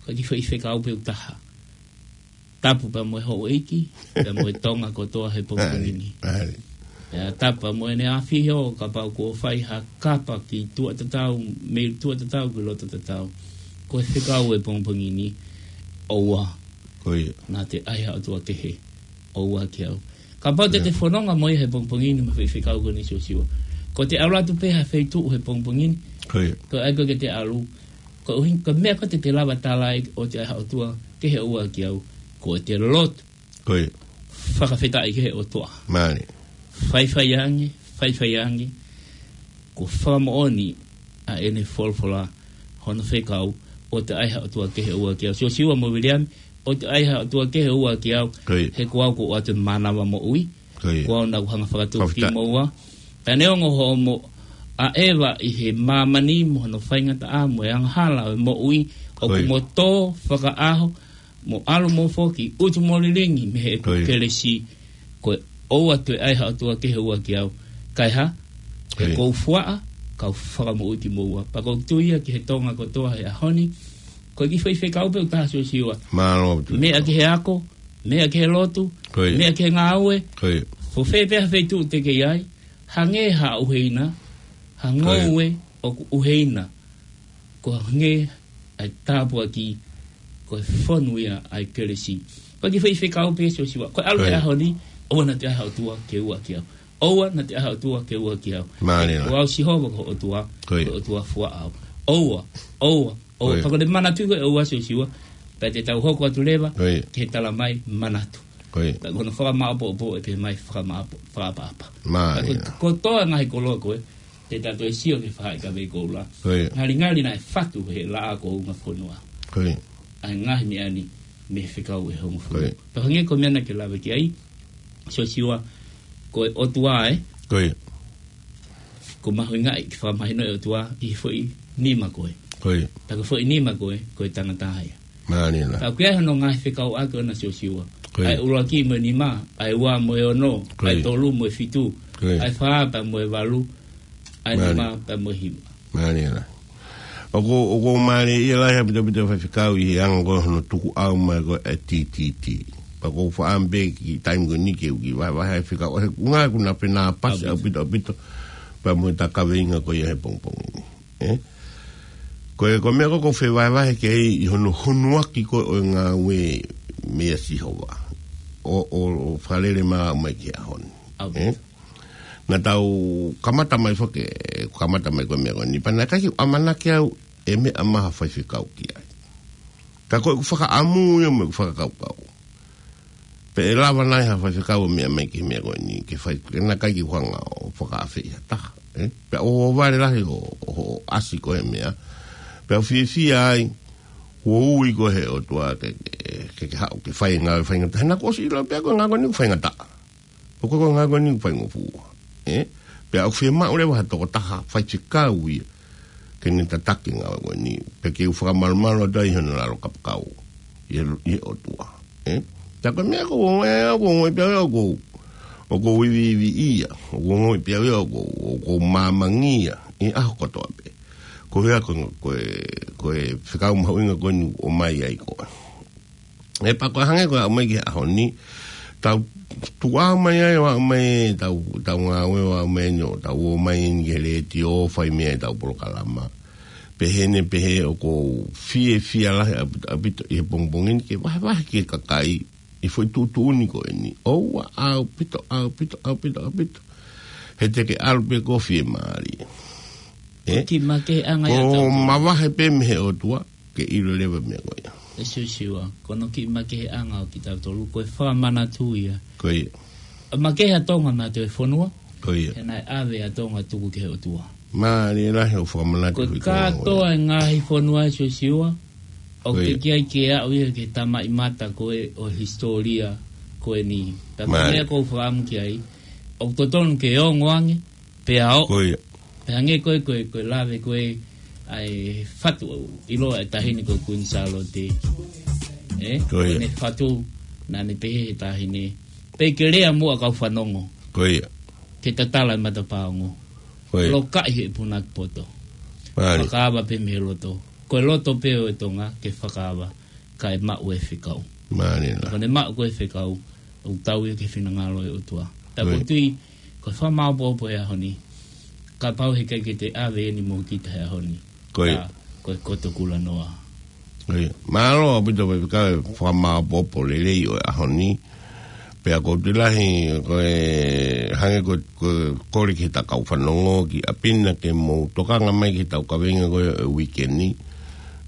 Ko e kiʻi foʻi fekau pē ʻe taha. Tapu pea mo e houʻeiki, pea mo e Tonga kotoa he pongipongi ni. Mālie, mālie. Pea tapu pea mo ʻene ʻafio, kapau kuo fai ha kapa ki tuʻa tatau, mei tuʻa tatau ki loto tatau. Ko e fekau e pongipongi ni, ʻoua. Ko ia. Naʻa te ʻai ha ʻotua kehe, ʻoua kiate au. Kapau te Ko ia. te fononga mo ia he pongipongi ni mo e foʻi fekau ko eni Siosiua. Ko ʻete ʻalu atu pē ha feituʻu he pongipongi ni. Ko ia. Ko e ʻai ko ē ke te ʻalu. Ko e ʻuhinga, ko e meʻa ko ē te te lava tala ai ʻoua te ʻai ha ʻotua kehe, ʻoua kiate au. Ko ʻete lotu. Ko ia. Fakafetaʻi ki he ʻOtua. Mālie. Faifai ange, faifai ange. Ko e fakamoʻoni ʻa ʻene folofola hono fekau, ʻoua te ʻai ha ʻotua kehe, ʻoua kiate au. Siosiua mo Viliami, ʻoua te ʻai ha ʻotua kehe, ʻoua kiate au. Ko ia. He ko au ʻoku ʻoatu e mānava moʻui. Ko ia. Ko au naʻa ku hanga ʻo fakatupu Fakafetaʻi. kimoua. Pea neongo hoʻomo ʻaʻeva ʻi he māmani mo hono faingataʻa mo e angahala ʻo e moʻui, ʻoku Ko ia. mo tō fakaʻaho, mo ʻalu mo foki, utu mo lilingi mei he ʻeku Ko ia. kelesi, ko e ʻoua te ʻai ha ʻotua kehe, ʻoua kiate au. Kae hā? He Ko ia. ʻoku ou fuaʻa, kau fakamoʻui kimoua. Pea ʻoku ou tui ia ki he Tonga kotoa he ʻaho ni, ko e kiʻi foʻi fekau pē ʻe taha Siosiua. Mālō, Tuʻi. Meʻa ki he ako, meʻa ki he lotu, Ko ia. meʻa ki he ngāue. Ko ia. Ko fē pē ha feituʻu te ke ʻi ai, hangē ha ʻuheina, ha Ko ia. ngoue ʻoku ʻuheina. Ko e hangē ʻa e tāpuaki, ko e fonu ia ʻa e kelesi. Ko e kiʻi foʻi fekau pē Siosiua. Ko e ʻalu Ko ia. he ʻaho ni, ʻoua naʻa te ʻai ha ʻotua ke ʻoua kiate au. ʻOua naʻa te ʻai ha ʻotua ke ʻoua kiate au. Mālie. Ko au Sihova ko ho ʻOtua, Ko ia. ko e ʻOtua fuaʻa au. ʻOua, ʻoua, ʻoua. Ko ia. Pea ko ʻene manatu ko e ʻoua Siosiua, pea te tau hoko atu leva, Ko ia. ke tala mai manatu. Ko ia. Pea ko hono fakamaʻopoʻopo ʻe pehē mai fakamaʻopo-, fakaʻapaʻapa. Mālie. Pea ko, ko e toa ngaahi koloa ko ē, te tau toe sio ki he faʻahikavei koula. Ko ia. Ngalingali naʻe fatu he laʻā ko ē ʻo e fonua. Ko ia. ʻA e ngaahi meʻa ni mei he fekau ʻe hongofulu. Ko ia. Pea hangē ko e meʻa naʻa ke lave ki ai, Siosiua, ko e ʻOtua ē. Ko ia. ʻOku mahuʻinga ke fakamahino e ʻOtua ʻi he foʻi nima ko ē. Ko ia. Pea ko e foʻi nima ko ē, ko e tangata ia. Mālie. Pea ʻoku ʻi ai hono ngaahi fekauʻaki ʻona Siosiua. Ko ia. ʻA e ʻuluaki mo e nima, ʻa e ua mo e ono, Ko ʻa e ia. tolu mo e fitu, Ko ia. ʻa e fā pea mo e valu, ʻa e Mālie. nima pea mo e hiva. Mālie. ʻOku, ʻoku mālie ia lahi ʻaupito ʻaupito faifekau ʻi he anga ko ē hono tukuʻau mai ko ē ʻa e T T T. Pea ʻoku ou faʻa pē ki he taimi ko eni ke u kiʻi vahevahe e fekau. He ʻuhinga ʻoku na pē na pasi ʻAupito. ʻaupito ʻaupito. Pea mo e tā kaveinga ko ia he pongipongi ni. ʻE? Ko e, ko e meʻa ko ē ʻoku ou fie vahevahe ki ai ʻi hono hunuaki ko ē ʻo e ngāue meia Sihova. ʻO, ʻo, ʻo fakalele mai mai ki he ʻaho ni. ʻAupito. ʻE? Naʻa tau kamata mai foki, kamata mai ko e meʻa ko eni. Pea naʻe ʻikai ke u ʻamanaki au ʻe meʻa mai ha faifekau ki ai. Ka ko ʻeku fakaʻamu ia mo ʻeku fakakaukau. Pe ʻe lava nai ha faifekau ʻo meʻa mai ki he meʻa ko eni, ke fai, ke naʻe ʻikai ke u hanga ʻo fakaafeʻi ha taha, ē? Pea ʻoku ou vale lahi ʻo, ʻo, ʻo ʻasi ko e meʻa. Pea u fiefia ai, kuo ui koe ʻe he ʻOtua ke, ke, ke, ke haʻu, ke fai e ngāue faingataʻa. He naʻa ku ʻosi ʻilo pē ko e ngāue ko eni ʻoku faingataʻa. Ko e, ko e ngāue ko eni ʻoku faingofua. Ē? Pea ʻoku fiemaʻu leva ha tokotaha faifekau ia ke ne tataki e ngāue ko eni. Pea ke u fakamalumalu atu ai hono lalo kapakau. ʻI he, ʻi he ʻOtua. Ē? Tā ko e meʻa ʻoku ou ongoʻi, ʻoku ou ongoʻi pē au ia ʻoku ou, ʻoku ou iviivi ia. ʻOku ou ongoʻi pē au ia ʻoku ou, ʻoku ou māmangia. ʻI he ʻaho kotoa pē. Ko e hā ko e, ko e, ko e fekau mahuʻinga ko eni ʻoku ʻomai ai koe. ʻE pea ko e hangē ko e aʻu mai ki he ʻaho ni, tau tuʻu mai ai ʻo aʻu mai tau, tau ngāue ʻo aʻu mai ni ʻo tau ō mai eni ki he letiō ʻo fai mei ai ʻetau polokalama. Pehē ni pehē ʻoku ou fiefia lahi ʻaupito, ʻaupito ʻi he pongipongi ni ke vahevahe ki he kakai ʻi he foʻi tuʻutuʻuni ko eni. ʻOua ʻaupito, ʻaupito, ʻaupito, ʻaupito. He te ke ʻalu pē koe ʻo fiemālie. Ko e kiʻi makeheʻanga ia ʻo tautolu. Mavahe pē mei he ʻOtua, ke ʻilo leva e meʻa ko ia. ʻE Siosiua, ko hono kiʻi makeheʻanga ʻo kitautolu, ko e fakamanatu ia. Ko ia. ʻA makehe ʻa Tonga maʻa e fonua. Ko ia. He naʻe ʻave ʻa Tonga tuku ki he ʻOtua. Mālie lahi hoʻo fakamanatu. Ko e kātoa e ngaahi fonua ʻe Siosiua, ʻoku ke kei ke aʻu ia ki he tamaʻimata ko ē ʻo e hisitōlia ko eni. Pea ko e meʻa ʻoku ou fakaʻamu ki ai, ʻoku totonu ke ongo ange, pea ʻo. Ko ia. Pea hangē ko e, ko e, ko e lave ko ē ʻa e fatu ʻiloa ʻa e taʻahine ko Kuini Sālote. Ē? Ko ia. Ko ʻene fatu, naʻa ne pehē he taʻahine, pea ke lea muʻa kau fanongo. Ko ia. Ke tatala e matapā ongo. Ko ia. Lokaʻi he punake poto. Mālie. Fakaava pē mei he loto. Ko e loto pē ʻo e Tonga ke fakaava, kae maʻu e fekau. Mālie lahi. Ko ʻene maʻu ko ē e fekau, ʻoku tau ia ki he finangalo ʻo e ʻOtua. Pea ʻoku ou tui, ko e fakamāʻopoʻopo he ʻaho ni, kapau heʻikai ke te ʻave eni mo kita he ʻaho ni. Ko ia. Ka, ko e koto kulanoa. Ko ia. Mālō ʻaupito pē ka e fakamāʻopoʻopo lelei ʻo e ʻaho ni. Pea ʻoku ou tui lahi, ko e hangē ko, ko e kole ki he kau fanongo ki ʻapi na ke mou tokanga mai ki heʻetau kaveinga ko ē ʻo e uike ni.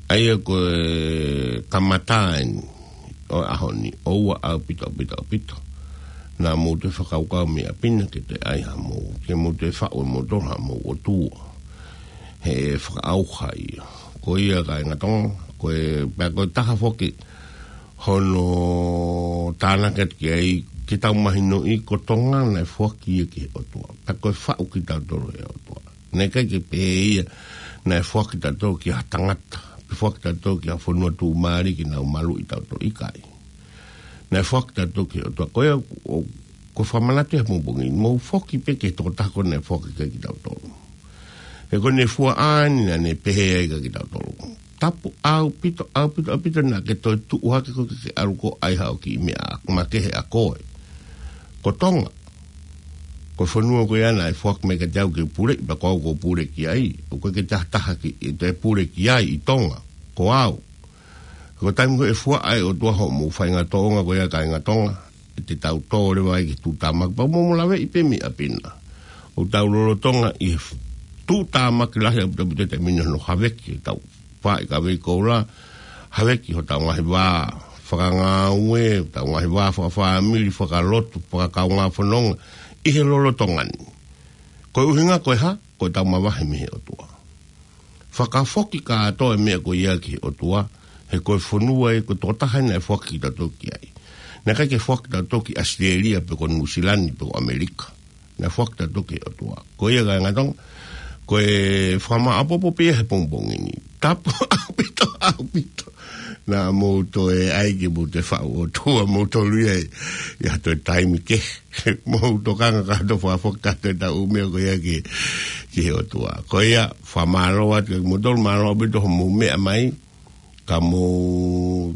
ʻA ia ko e kamata eni ʻo e ʻaho ni, ʻoua ʻaupito, ʻaupito, ʻaupito. Naʻa mou toe fakakaukau mei ʻapi na ke toe ʻai haʻamou, ke mou toe faʻu ʻe moutolu haʻamou ʻOtua. He fakaʻauha ia. Ko ia kāinga Tonga, ko e, pea ko e taha foki hono tānaki atu ki ai, ke tau mahinoʻi ko Tonga naʻe foaki ia ki he ʻOtua. Pea ko e faʻu kitautolu ʻe he ʻOtua. Naʻe ʻikai ke pehē ia, naʻe foaki kitautolu ki ha tangata, pe foaki kitautolu ki ha fonua tuʻumālie ke nau maluʻi kitautolu, ʻikai. Naʻe foaki kitautolu ki he ʻOtua. Ko ia, ʻo, ko e fakamanatu he pongipongi ni, mou foki pē ki he tokotaha ko ē naʻe foaki kitautolu. He ko ʻene fua ʻa eni naʻa ne pehē ai kia kitautolu. Tapu ʻaupito, ʻaupito, ʻaupito naʻa ke toe tuʻu hake koe ke ke ʻalu koe ʻo ʻai haʻo kiʻi meʻa makehe ʻa koe. Ko Tonga. Ko e fonua ko ia naʻe foaki mai kiate au ke puleʻi, pea ko au ʻoku ou pule ki ai. ʻOku ʻikai ke taha taha ke toe pule ki ai ʻi Tonga. Ko au. Ko e taimi ko ē ʻe fua ai ʻe he ʻOtua hoʻomou faʻahinga tōʻonga ko ia kāinga Tonga, ʻe te tau tō leva ai ki he tuʻutāmaki, pea mou laveʻi pē mei ʻapi na. ʻOku tau lolotonga ʻi he tuʻutāmaki lahi ʻaupito ʻaupito he taimi ni hono haveki ʻetau fāʻi kavei koula, haveki hotau ngaahi vā fakangāue, hotau ngaahi vā fakafāmili, fakalotu, fakakaungā fononga, ʻi he lolotonga ni. Ko e ʻuhinga ko e hā, ko ʻetau mavahe mei he ʻOtua. Fakafoki kātoa e meʻa ko ia ki he ʻOtua, he ko e fonua ē, ko e tokotaha ē naʻe foaki kitautolu ki ai. Naʻe ʻikai ke foaki kitautolu ki ʻAositelēlia, pe ko Nuʻusila ni, pe ko ʻAmelika. Naʻe foaki kitautolu ki he ʻOtua. Ko ia kāinga Tonga, ko e fakamāʻopoʻopo pē ia he pongipongi ni. Tapu ʻaupito, ʻaupito. Naʻa mou toe ʻai ke mou toe faʻu ʻOtua, mou toe lue ai. ʻI ha toe taimi kehe. Mou tokanga kātoa fakafoki kātoa ʻetau meʻa ko ia ki, ki he ʻOtua. Ko ia, fakamālō atu kiate kimoutolu, mālō ʻaupito hoʻomou meʻa mai, ka mou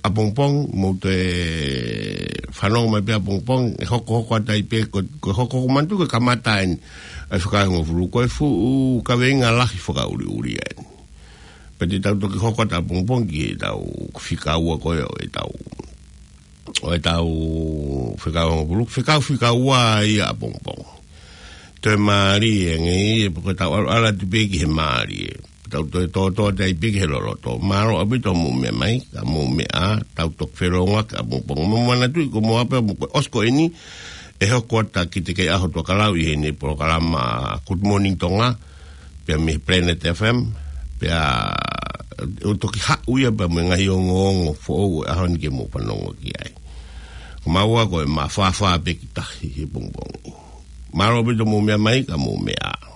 ʻapongipongi, mou toe fanongo mai pē ʻapongipongi, ʻe hokohoko atu ai pē, ko, ko e hokohoko manatu ko e kamata eni ʻa e fakaehongofulu, ko e fuʻu kaveinga lahi fakaʻuliʻulia eni. Pea te tau toki hoko atu ʻapongipongi ki heʻetau fika ua ko ē ʻo ʻetau ʻo ʻetau fekau hongofulu, fekau fika ua ia ʻapongipongi. Toe mālie ange ia, pea ko ʻetau ʻalu ʻalu atu pē ki he mālie. Tau toe tōtō atu ai pē ki he loloto. Mālō ʻaupito hoʻomou meʻa mai, ka mou meʻa, tau toki felōngoaki ʻapongipongi. Mou manatuʻi ko mou ʻape mo ko e ʻosi ko eni, ʻe hoko atu ʻa Kitekeiʻaho Tuʻakalau ʻi heʻene polokalama Good Morning Tonga, pea mei he Planet F M, pea ʻe toki haʻu ia pea mo e ngaahi ongoongo foʻou ʻo e ʻaho ni ke mou fanongo ki ai. Ko maua ko e mafāfā pē ki tahi he pongipongi. Mālō ʻaupito hoʻomou meʻa mai, ka mou meʻa.